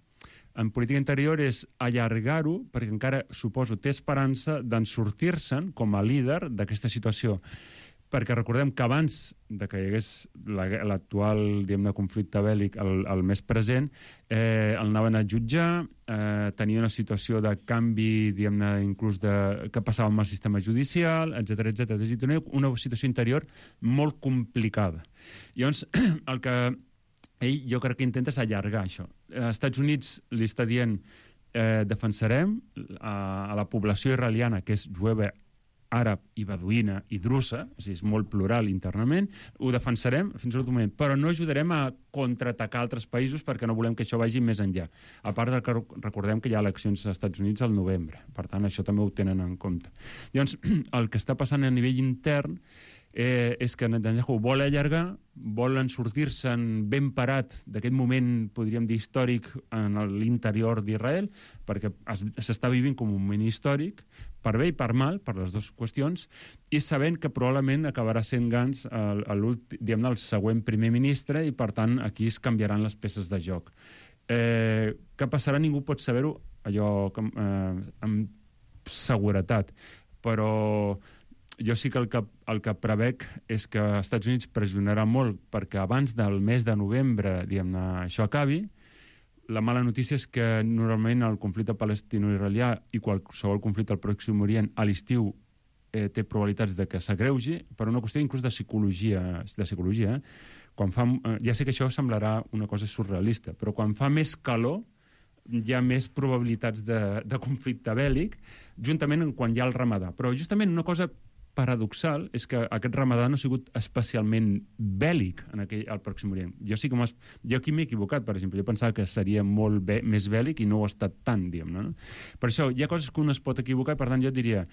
en política interior és allargar-ho, perquè encara, suposo, té esperança d'en sortir-se'n com a líder d'aquesta situació. Perquè recordem que abans que hi hagués l'actual, diguem-ne, conflicte bèl·lic, el més present, el anaven a jutjar, tenia una situació de canvi, diguem-ne, inclús que passava amb el sistema judicial, etc. És a dir, tenia una situació interior molt complicada. Llavors, el que ell jo crec que intenta és allargar això. Als Estats Units li està dient defensarem a la població israeliana, que és jueva, àrab i beduïna i drussa, és a dir, és molt plural internament, ho defensarem fins a l'últim moment, però no ajudarem a contraatacar altres països perquè no volem que això vagi més enllà. A part que recordem que hi ha eleccions als Estats Units al novembre, per tant això també ho tenen en compte. Llavors, el que està passant a nivell intern és que Netanyahu vol allargar, volen sortir-se'n ben parat d'aquest moment, podríem dir, històric en l'interior d'Israel, perquè s'està vivint com un moment històric, per bé i per mal, per les dues qüestions, i sabent que probablement acabarà sent Gantz el següent primer ministre, i per tant aquí es canviaran les peces de joc. Què passarà? Ningú pot saber-ho allò amb seguretat, però jo sí que el que prevec és que els Estats Units pressionarà molt perquè abans del mes de novembre, diguem-ne, això acabi. La mala notícia és que normalment el conflicte palestino-israelià i qualsevol conflicte al Pròxim Orient a l'estiu té probabilitats de que s'agreugi, per una qüestió inclús de psicologia. Ja sé que això semblarà una cosa surrealista, però quan fa més calor hi ha més probabilitats de conflicte bèl·lic, juntament quan hi ha el ramadà. Però justament una cosa paradoxal és que aquest ramadà no ha sigut especialment bèl·lic al Pròxim Orient. Jo aquí m'he equivocat, per exemple. Jo pensava que seria molt més bèl·lic i no ho ha estat tant, diguem-ne. Per això hi ha coses que un es pot equivocar, per tant jo diria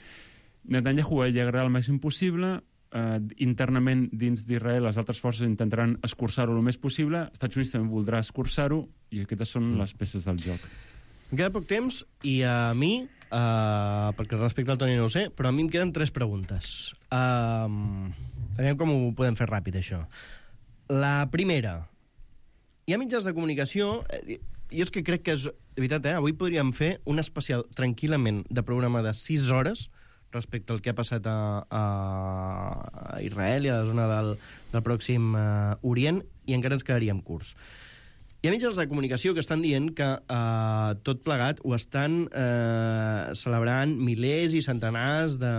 Netanyahu allargarà el màxim possible, internament dins d'Israel les altres forces intentaran escurçar-ho el més possible, els Estats Units també voldrà escurçar-ho, i aquestes són les peces del joc. Em queda poc temps, i a mi, perquè respecte al Toni no ho sé, però a mi em queden 3 preguntes. Aviam com ho podem fer ràpid, això. La primera, hi ha mitjans de comunicació... Jo és que crec que és... De veritat, avui podríem fer un especial tranquil·lament de programa de 6 hores respecte al que ha passat a Israel i a la zona del Pròxim Orient, i encara ens quedaríem curts. Hi ha mitjans de comunicació que estan dient que tot plegat ho estan celebrant milers i centenars de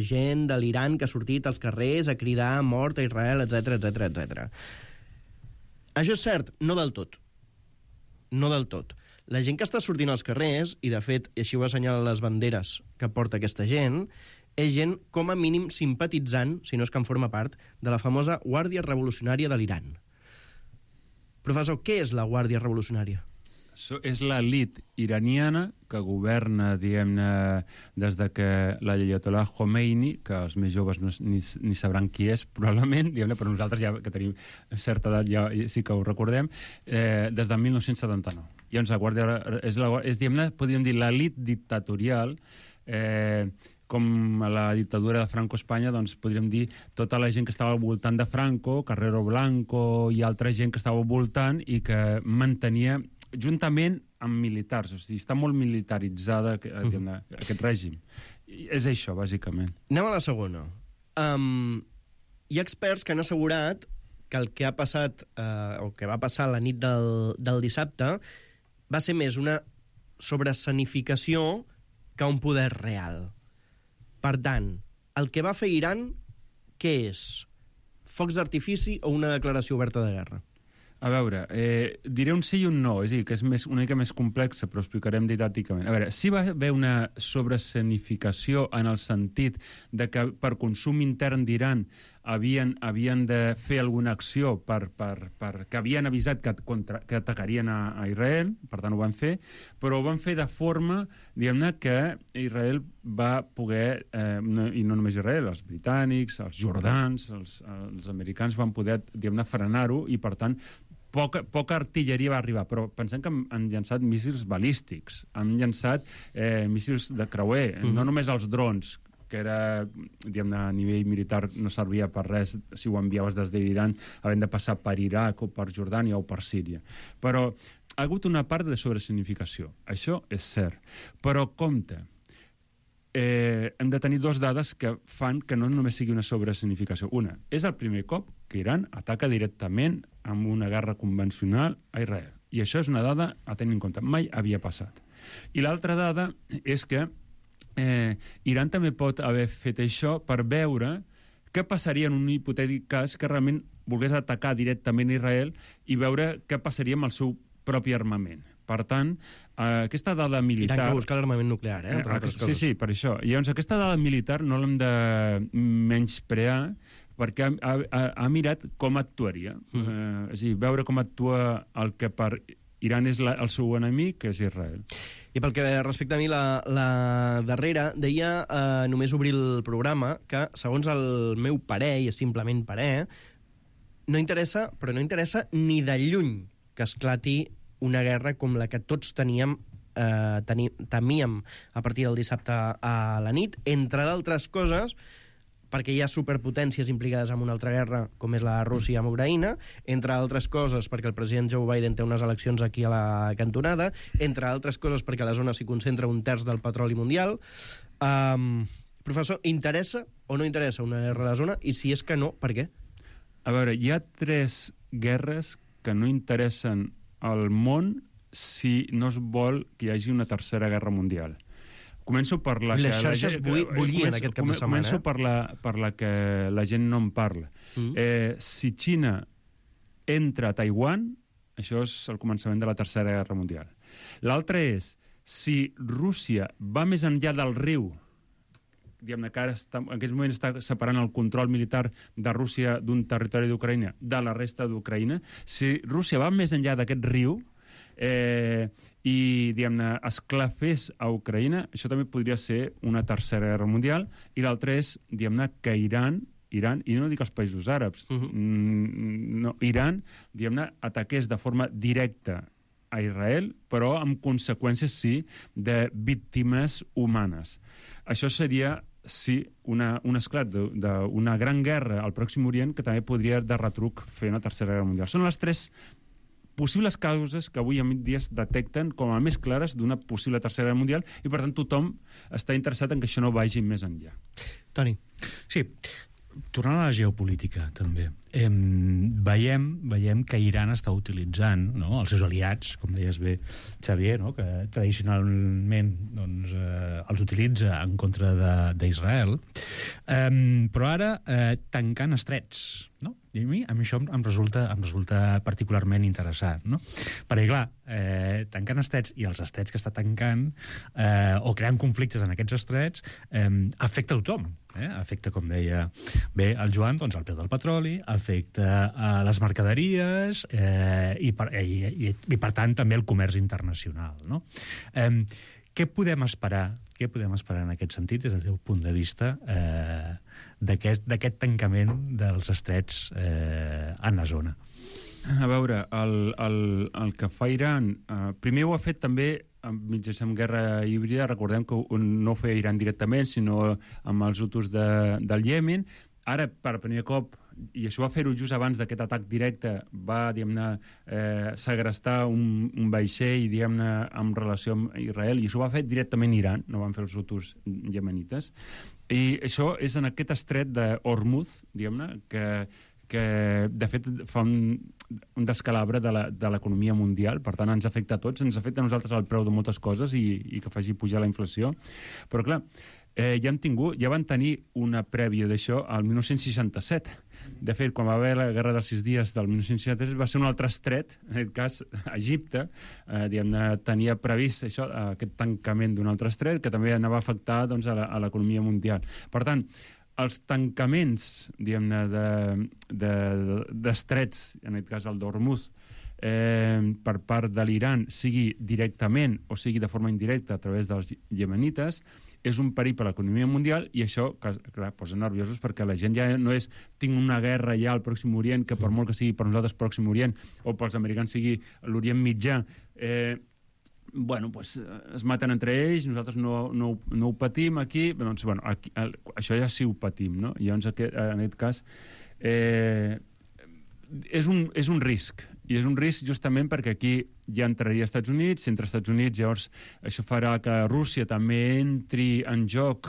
gent de l'Iran que ha sortit als carrers a cridar mort a Israel, etc etc etc. Això és cert? No del tot. No del tot. La gent que està sortint als carrers, i de fet, i així ho assenyalen les banderes que porta aquesta gent, és gent com a mínim simpatitzant, si no és que en forma part, de la famosa Guàrdia Revolucionària de l'Iran. Professor, què és la Guàrdia Revolucionària? És l'elit iraniana que governa, diguem-ne, des de que l'Ayatollah Khomeini, que els més joves ni sabran qui és, probablement, diguem-ne, però nosaltres ja que tenim certa edat ja sí que ho recordem, des de 1979. Llavors, la Guàrdia és, diguem-ne, podríem dir, l'elit dictatorial, com a la dictadura de Franco a Espanya, doncs podríem dir tota la gent que estava al voltant de Franco, Carrero Blanco i altra gent que estava al voltant i que mantenia juntament amb militars, o sigui, està molt militaritzada aquest règim. És això, bàsicament. Anem a la segona. Hi ha experts que han assegurat que el que ha passat, o que va passar la nit del dissabte, va ser més una sobresanificació que un poder real. Per tant, el que va fer Iran, què és? Focs d'artifici o una declaració oberta de guerra? A veure, diré un sí i un no, és a dir, que és una mica més complexa, però ho explicarem didàcticament. A veure, sí va haver una sobrescenificació en el sentit de que per consum intern d'Iran havien de fer alguna acció que havien avisat que atacarien a Israel, per tant ho van fer, però ho van fer de forma, diguem-ne, que Israel va poder, i no només Israel, els britànics, els jordans, els americans van poder, diguem-ne, frenar-ho, i per tant poca artilleria va arribar, però pensem que han llançat míssils balístics, han llançat míssils de creuer, no només els drons, que era, diguem-ne, a nivell militar no servia per res si ho enviaves des d'Iran, havent de passar per Iraq o per Jordània o per Síria. Però ha hagut una part de sobresignificació, això és cert. Però compte, hem de tenir 2 dades que fan que no només sigui una sobresignificació. Una, és el primer cop que Iran ataca directament amb una guerra convencional a Israel. I això és una dada a tenir en compte. Mai havia passat. I l'altra dada és que Iran també pot haver fet això per veure què passaria en un hipotètic cas que realment volgués atacar directament Israel i veure què passaria amb el seu propi armament. Per tant, aquesta dada militar... Iran que busca l'armament nuclear, entre altres coses. Sí, per això. Llavors, aquesta dada militar no l'hem de menysprear perquè ha mirat com actuaria. És a dir, veure com actua el que per Iran és el seu enemic, que és Israel. I pel que respecta a mi, la darrera, deia, només obrir el programa, que, segons el meu parer, i és simplement parer, no interessa, però no interessa ni de lluny que esclati una guerra com la que tots temíem a partir del dissabte a la nit, entre d'altres coses, perquè hi ha superpotències implicades en una altra guerra, com és la Rússia amb Ucraïna, entre altres coses perquè el president Joe Biden té unes eleccions aquí a la cantonada, entre altres coses perquè a la zona s'hi concentra 1/3 del petroli mundial. Professor, interessa o no interessa una guerra a la zona? I si és que no, per què? A veure, hi ha 3 guerres que no interessen al món si no es vol que hi hagi una tercera guerra mundial. Començo per la que... Les xarxes bullien aquest cap de setmana. Començo per la que la gent no en parla. Si Xina entra a Taiwan, això és el començament de la tercera guerra mundial. L'altre és, si Rússia va més enllà del riu, diguem-ne que ara en aquest moment està separant el control militar de Rússia d'un territori d'Ucraïna de la resta d'Ucraïna, si Rússia va més enllà d'aquest riu i, diguem-ne, esclafés a Ucraïna, això també podria ser una tercera guerra mundial, i l'altre és, diguem-ne, que Iran Iran, i no dic els països àrabs, no, Iran, diguem-ne, ataqués de forma directa a Israel, però amb conseqüències, sí, de víctimes humanes. Això seria, sí, un esclat d'una gran guerra al Pròxim Orient que també podria de retruc fer una tercera guerra mundial. Són les 3 possibles causes que avui en dia es detecten com a més clares d'una possible tercera guerra mundial i, per tant, tothom està interessat en que això no vagi més enllà. Toni. Sí, tornant a la geopolítica, també. Veiem que Iran està utilitzant, no, els seus aliats, com deies bé, Xavier, no, que tradicionalment doncs, els utilitza en contra d'Israel, però ara tancant estrets, no? I a mi això em resulta particularment interessant, no? Perquè, clar, tancant estrets i els estrets que està tancant o creant conflictes en aquests estrets afecta a tothom. Afecta, com deia bé el Joan, doncs, el preu del petroli, afecta a les mercaderies i per tant també el comerç internacional, no? Què podem esperar en aquest sentit des del teu punt de vista d'aquest tancament dels estrets en la zona? A veure, el que fa Iran... primer ho ha fet també mitjançant guerra híbrida. Recordem que no ho feia Iran directament, sinó amb els hutus del Iemen. Ara, per primer cop, i això va fer-ho just abans d'aquest atac directe, va, diguem-ne, segrestar un vaixell, diguem-ne, en relació amb Israel, i això ho va fer directament Iran, no van fer els hutus iemenites. I això és en aquest estret d'Hormuz, diguem-ne, que de fet fa un descalabre de l'economia mundial, per tant ens afecta a tots, ens afecta a nosaltres el preu de moltes coses i que faci pujar la inflació. Però clar, ja van tenir una prèvia d'això al 1967. De fet, quan va haver la Guerra dels 6 dies del 1967 va ser un altre estret, en aquest cas Egipte, tenia previst això, aquest tancament d'un altre estret que també anava a afectar doncs, a l'economia mundial. Per tant, els tancaments, diguem-ne, d'estrets, en aquest cas el d'Hormuz, per part de l'Iran, sigui directament o sigui de forma indirecta a través dels iemenites, és un perill per a l'economia mundial i això, clar, posa nerviosos perquè la gent ja no és tinc una guerra ja al Pròxim Orient, que per molt que sigui per nosaltres Pròxim Orient o pels americans sigui l'Orient Mitjà, bueno, pues, es maten entre ells, nosaltres no ho patim aquí, doncs, bueno, això ja sí ho patim, no? I llavors, en aquest cas, és un risc, i és un risc justament perquè aquí ja entraria als Estats Units, si entra als Estats Units llavors això farà que Rússia també entri en joc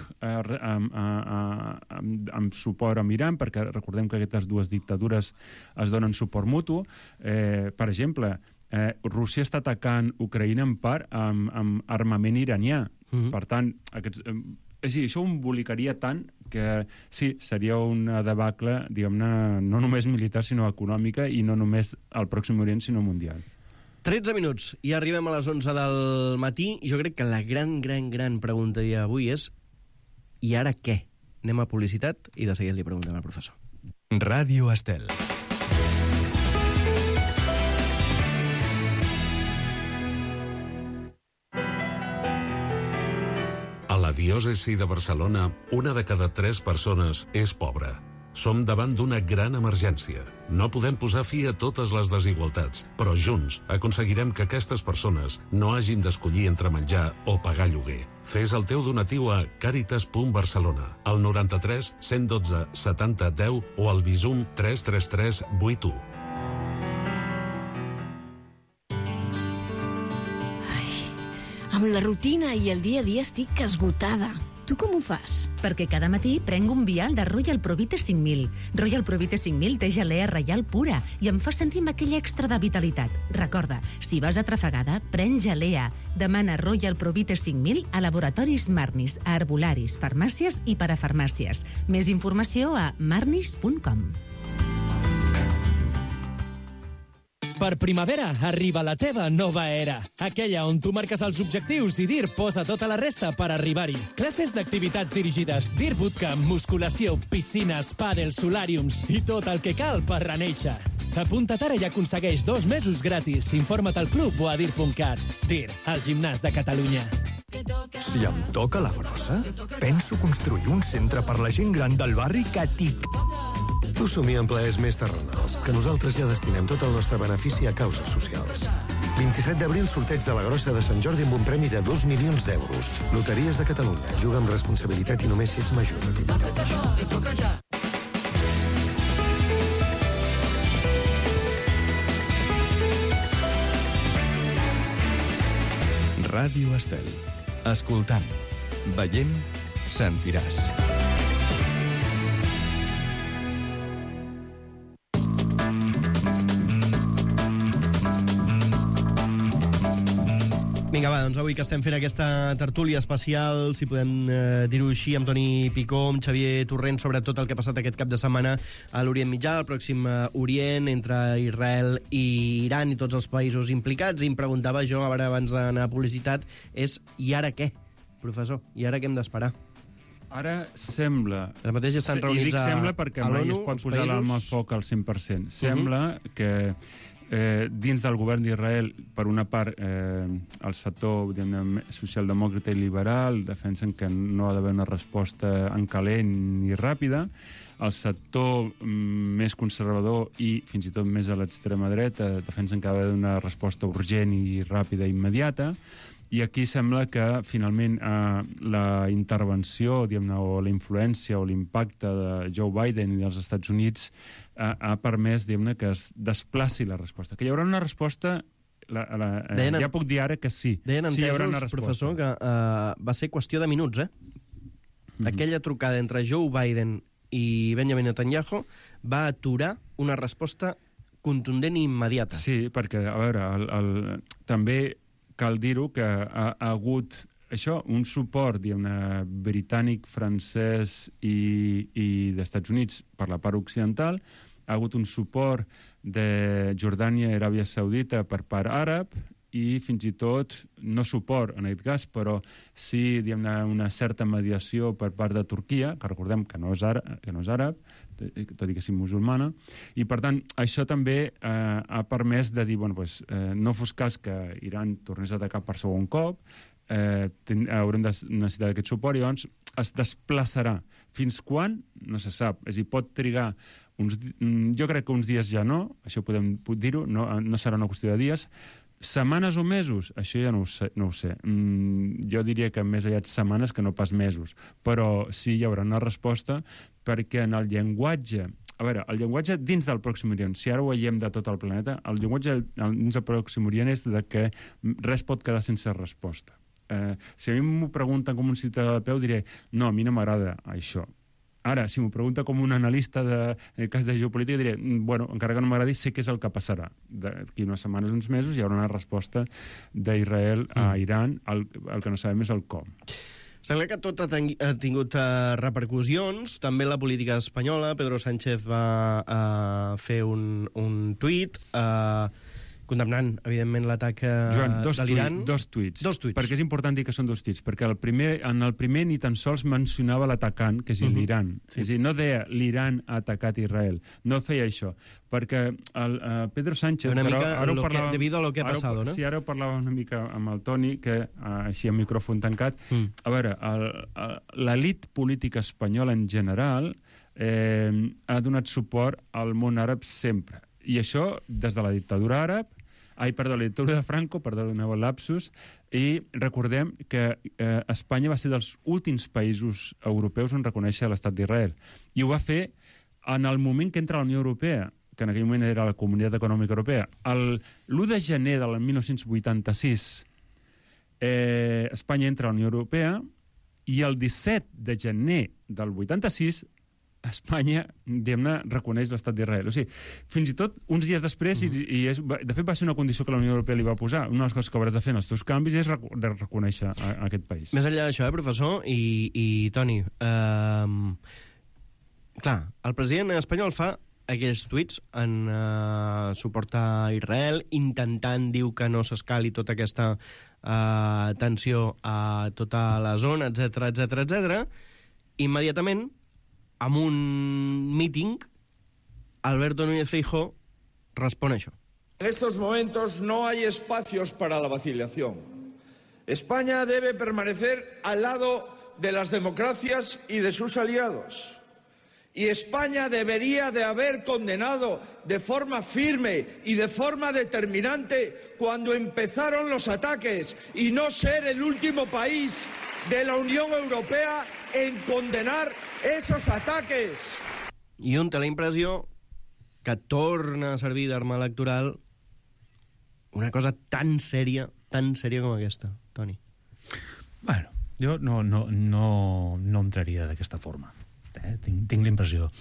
amb suport amb Iran, perquè recordem que aquestes dues dictadures es donen suport mutu. Per exemple, Rússia està atacant Ucraïna en part amb armament iranià. Per tant, això ho embolicaria tant que sí, seria una debacle, diguem-ne, no només militar, sinó econòmica, i no només al Pròxim Orient, sinó mundial. 13 minuts, i arribem a les 11 del matí, i jo crec que la gran pregunta d'avui és i ara què? Anem a publicitat i de seguida li preguntem al professor. Ràdio Estel. A la diòcesi de Barcelona, 1 de cada 3 persones és pobra. Som davant d'una gran emergència. No podem posar fi a totes les desigualtats, però junts aconseguirem que aquestes persones no hagin d'escollir entre menjar o pagar lloguer. Fes el teu donatiu a Càritas.Barcelona, al 93 112 70 10 o al Bizum 333 81. Amb la rutina i el dia a dia estic esgotada. Tu com ho fas? Perquè cada matí prenc un vial de Royal Provite 5000. Royal Provite 5000 té gelea reial pura i em fa sentir amb aquell extra de vitalitat. Recorda, si vas atrafegada, pren gelea. Demana Royal Provite 5000 a laboratoris Marnis, a herbolaris, farmàcies i parafarmàcies. Més informació a marnis.com. Per primavera arriba la teva nova era. Aquella on tu marques els objectius i DIR posa tota la resta per arribar-hi. Classes d'activitats dirigides, DIR Bootcamp, musculació, piscines, pàdel, solàriums i tot el que cal per renéixer. Apunta't ara i aconsegueix 2 mesos gratis. Informa't al club o a dir.cat. DIR, el gimnàs de Catalunya. Si em toca la grossa, penso construir un centre per la gent gran del barri que TIC. Tu somia en plaers més terrenals, que nosaltres ja destinem tot el nostre benefici a causes socials. 27 d'abril, sorteig de la Grossa de Sant Jordi amb un premi de 2 milions d'euros. Loteries de Catalunya. Juga amb responsabilitat i només si ets major d'edat. Ràdio Estel. Escoltant, veient, sentiràs. Vinga, va, doncs avui que estem fent aquesta tertúlia especial, si podem dir-ho així, amb Toni Picó, amb Xavier Torrent, sobre tot el que ha passat aquest cap de setmana a l'Orient Mitjà, al Pròxim Orient, entre Israel i Iran i tots els països implicats. I em preguntava jo, ara abans d'anar a publicitat, és i ara què, professor? I ara què hem d'esperar? Ara sembla... Ara mateix estan reunits i dic sembla perquè mai es pot posar l'arma al foc al 100%. Sembla que dins del govern d'Israel, per una part, el sector socialdemòcrata i liberal defensen que no ha d'haver una resposta en calent ni ràpida. El sector més conservador i fins i tot més a l'extrema dreta defensen que ha d'haver una resposta urgent i ràpida i immediata. I aquí sembla que, finalment, la intervenció, o la influència o l'impacte de Joe Biden i dels Estats Units ha permès, que es desplaci la resposta. Que hi haurà una resposta, ja puc dir ara que sí. Deien sí, entesos, professor, que va ser qüestió de minuts, Aquella trucada entre Joe Biden i Benjamin Netanyahu va aturar una resposta contundent i immediata. Sí, perquè, a veure, també cal dir-ho que ha hagut un suport britànic, francès i d'Estats Units per la part occidental, ha hagut un suport de Jordània i Aràbia Saudita per part àrab i fins i tot, no suport en aquest cas, però sí una certa mediació per part de Turquia, que recordem que no és àrab, tot i que sigui musulmana, i per tant això també ha permès de dir, no fos cas que Iran tornés a atacar per segon cop, haurem de necessitar aquest suport i llavors es desplaçarà. Fins quan? No se sap. És a dir, pot trigar jo crec que uns dies ja no, això podem dir-ho, no serà una qüestió de dies. Setmanes o mesos? Això ja no ho sé. Jo diria que més aviat setmanes que no pas mesos. Però sí, hi haurà una resposta perquè en el llenguatge... A veure, el llenguatge dins del Pròxim Orient, si ara ho veiem de tot el planeta, el llenguatge dins del Pròxim Orient és de que res pot quedar sense resposta. Si a mi m'ho pregunten com un ciutadà de peu, diré, no, a mi no m'agrada això. Ara, si m'ho pregunta com un analista en cas de geopolítica, diré, encara que no m'agradi, sé què és el que passarà. D'aquí unes setmanes, uns mesos, hi haurà una resposta d'Israel a Iran, el que no sabem és el com. Sembla que tot ha tingut repercussions. També la política espanyola. Pedro Sánchez va fer un tuit condemnant, evidentment, l'atac de l'Iran. Dos tuits. Perquè és important dir que són dos tuits, perquè en el primer ni tan sols mencionava l'atacant, que és l'Iran. És a dir, no deia l'Iran ha atacat Israel. No feia això. Perquè Pedro Sánchez... Una mica debido a lo que ha passado, no? Sí, ara ho parlava una mica amb el Toni, que així a micròfon tancat. A veure, l'elit política espanyola en general ha donat suport al món àrab sempre. I això des de la dictadura àrab, la dictadura de Franco, perdoneu el lapsus, i recordem que Espanya va ser dels últims països europeus en reconèixer l'estat d'Israel. I ho va fer en el moment que entra a la Unió Europea, que en aquell moment era la Comunitat Econòmica Europea. L'1 de gener del 1986 Espanya entra a la Unió Europea i el 17 de gener del 86 Espanya, reconeix l'estat d'Israel. O sigui, fins i tot uns dies després, i de fet va ser una condició que la Unió Europea li va posar, una de les coses que hauràs de fer en els teus canvis és reconèixer aquest país. Més enllà d'això, professor, i Toni, clar, el president espanyol fa aquells tuits en suport a Israel, intentant, diu que no s'escali tota aquesta tensió a tota la zona, etc. Immediatament, amb un míting, Alberto Núñez Feijóo respon a això. En estos momentos no hay espacios para la vacilación. España debe permanecer al lado de las democracias y de sus aliados. Y España debería de haber condenado de forma firme y de forma determinante cuando empezaron los ataques y no ser el último país de la Unión Europea en condenar esos ataques. I un té la impressió que torna a servir d'arma electoral una cosa tan sèria com aquesta, Toni. Bueno, jo no entraria d'aquesta forma. Tinc l'impressió.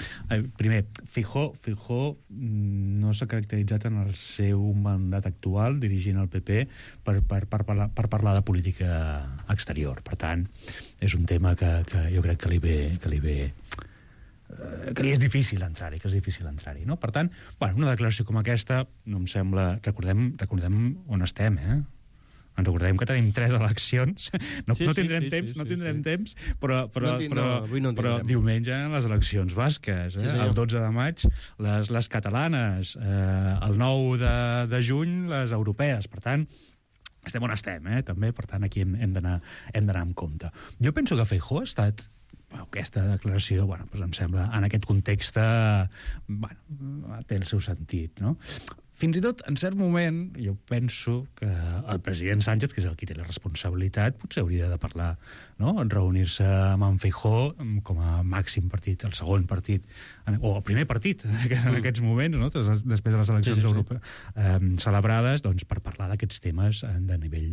Primer, Feijóo no s'ha caracteritzat en el seu mandat actual dirigint el PP per parlar de política exterior. Per tant, és un tema que jo crec que li és difícil entrar-hi, no? Per tant, una declaració com aquesta no em sembla... Recordem on estem, Ens recordem que tenim 3 eleccions. No tindrem temps, però diumenge les eleccions basques, el 12 de maig les catalanes, el 9 de juny les europees. Per tant, estem on estem, també. Per tant, aquí hem d'anar amb compte. Jo penso que Feijóo ha estat... Aquesta declaració, em sembla, en aquest context, té el seu sentit, no? Fins i tot, en cert moment, jo penso que el president Sánchez, que és el qui té la responsabilitat, potser hauria de parlar, no? Reunir-se amb en Feijóo com a màxim partit, el segon partit, o el primer partit en aquests moments, no? Després de les eleccions europees celebrades, doncs, per parlar d'aquests temes de nivell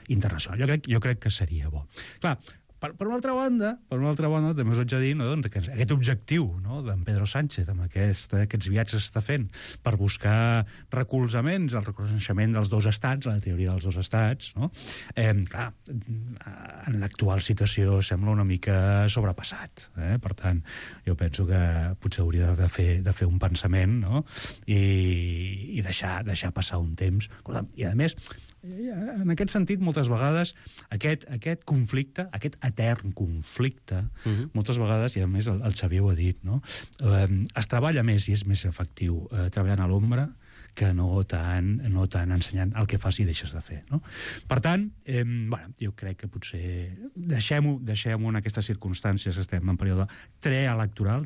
internacional. Jo crec que seria bo. Clar, per una altra banda, també us haig de dir, que aquest objectiu d'en Pedro Sánchez, amb aquests viatges que està fent per buscar recolzaments, el reconeixement dels 2 estats, la teoria dels 2 estats, clar, en l'actual situació sembla una mica sobrepassat. Per tant, jo penso que potser hauria de fer un pensament, i deixar passar un temps. I, a més, en aquest sentit, moltes vegades, aquest conflicte, aquest etern conflicte, moltes vegades, i a més el Xavier ho ha dit, es treballa més i és més efectiu treballant a l'ombra que no tant ensenyant el que fas i deixes de fer, no? Per tant, jo crec que potser deixem-ho en aquestes circumstàncies que estem en període trialectoral,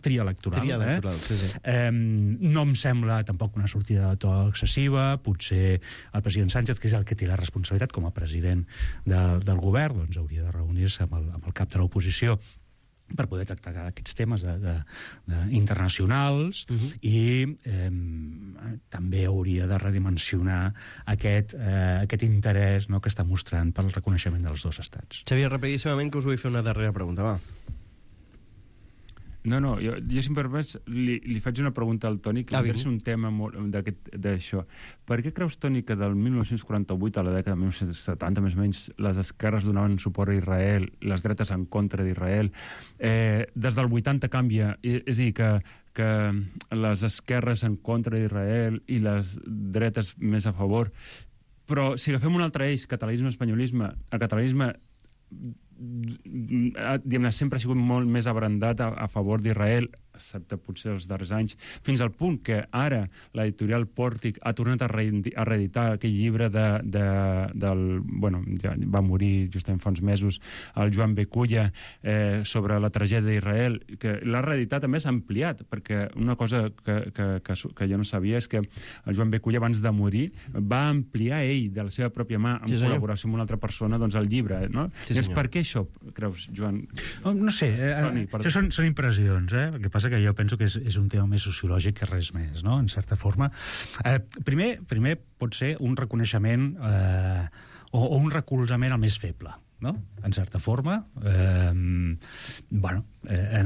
sí. No em sembla tampoc una sortida de to excessiva. Potser el president Sánchez, que és el que té la responsabilitat com a president del govern, doncs hauria de reunir-se amb el cap de l'oposició per poder tractar aquests temes internacionals i també hauria de redimensionar aquest interès que està mostrant per al reconeixement dels 2 estats. Xavier, rapidíssimament, que us vull fer una darrera pregunta, va. No, jo si em permets, li faig una pregunta al Toni, que m'interessa un tema d'això. Per què creus, Toni, que del 1948 a la dècada de 1970, més o menys, les esquerres donaven suport a Israel, les dretes en contra d'Israel? Des del 80 canvia, és a dir, que les esquerres en contra d'Israel i les dretes més a favor. Però si agafem un altre eix, catalanisme-espanyolisme, el catalanisme sempre ha sigut molt més abrandat a favor d'Israel, excepte potser els darrers anys, fins al punt que ara l'editorial Pòrtic ha tornat a reeditar aquell llibre va morir justament fa uns mesos el Joan Beculla sobre la tragèdia d'Israel, que l'ha reeditat, a més s'ha ampliat, perquè una cosa que jo no sabia és que el Joan Beculla, abans de morir, va ampliar ell de la seva pròpia mà, en col·laboració amb una altra persona, doncs el llibre, no? Per què això, creus, Joan? No sé, això són impressions, El que passa que jo penso que és un tema més sociològic que res més, no?, en certa forma. Primer pot ser un reconeixement o un recolzament al més feble, no?, en certa forma. En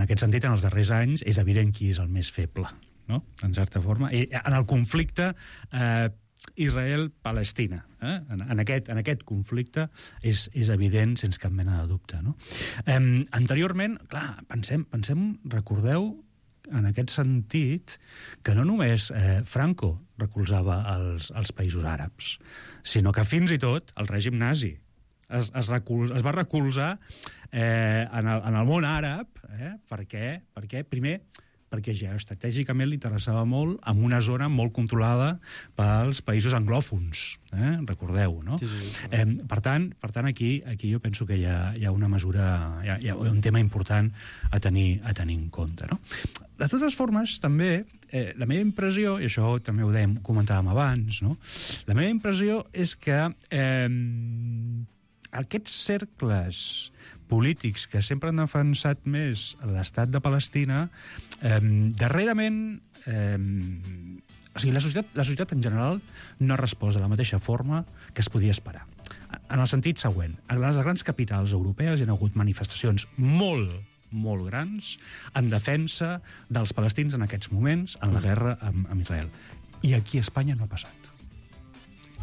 aquest sentit, en els darrers anys, és evident qui és el més feble, no?, en certa forma. I en el conflicte Israel-Palestina. En aquest conflicte és evident, sense cap mena de dubte, no? Anteriorment, clar, pensem, recordeu, en aquest sentit, que no només Franco recolzava els països àrabs, sinó que fins i tot el règim nazi es va recolzar en el món àrab, perquè primer perquè geoestratègicament li interessava molt en una zona molt controlada pels països anglòfons, recordeu, no? Sí. Per tant, aquí jo penso que hi ha una mesura, hi ha un tema important a tenir en compte, no? De totes formes, també, la meva impressió, i això també ho comentàvem abans, no? La meva impressió és que aquests cercles polítics que sempre han defensat més l'estat de Palestina, darrerament, o sigui, la societat en general no ha respost de la mateixa forma que es podia esperar. En el sentit següent, a les grans capitals europees hi ha hagut manifestacions molt grans en defensa dels palestins en aquests moments, en la guerra amb Israel. I aquí a Espanya no ha passat.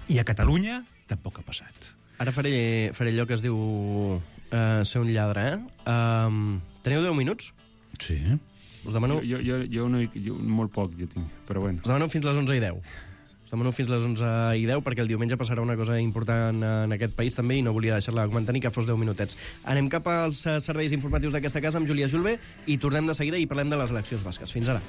I a Catalunya tampoc ha passat. Ara faré allò que es diu ser un lladre, Teniu 10 minuts? Sí. Us demano... Jo molt poc jo tinc, però bueno. Us demano fins les 11:10. Us demano fins les 11:10 perquè el diumenge passarà una cosa important en aquest país també i no volia deixar-la comentar ni que fos 10 minutets. Anem cap als serveis informatius d'aquesta casa amb Júlia Julve i tornem de seguida i parlem de les eleccions basques. Fins ara.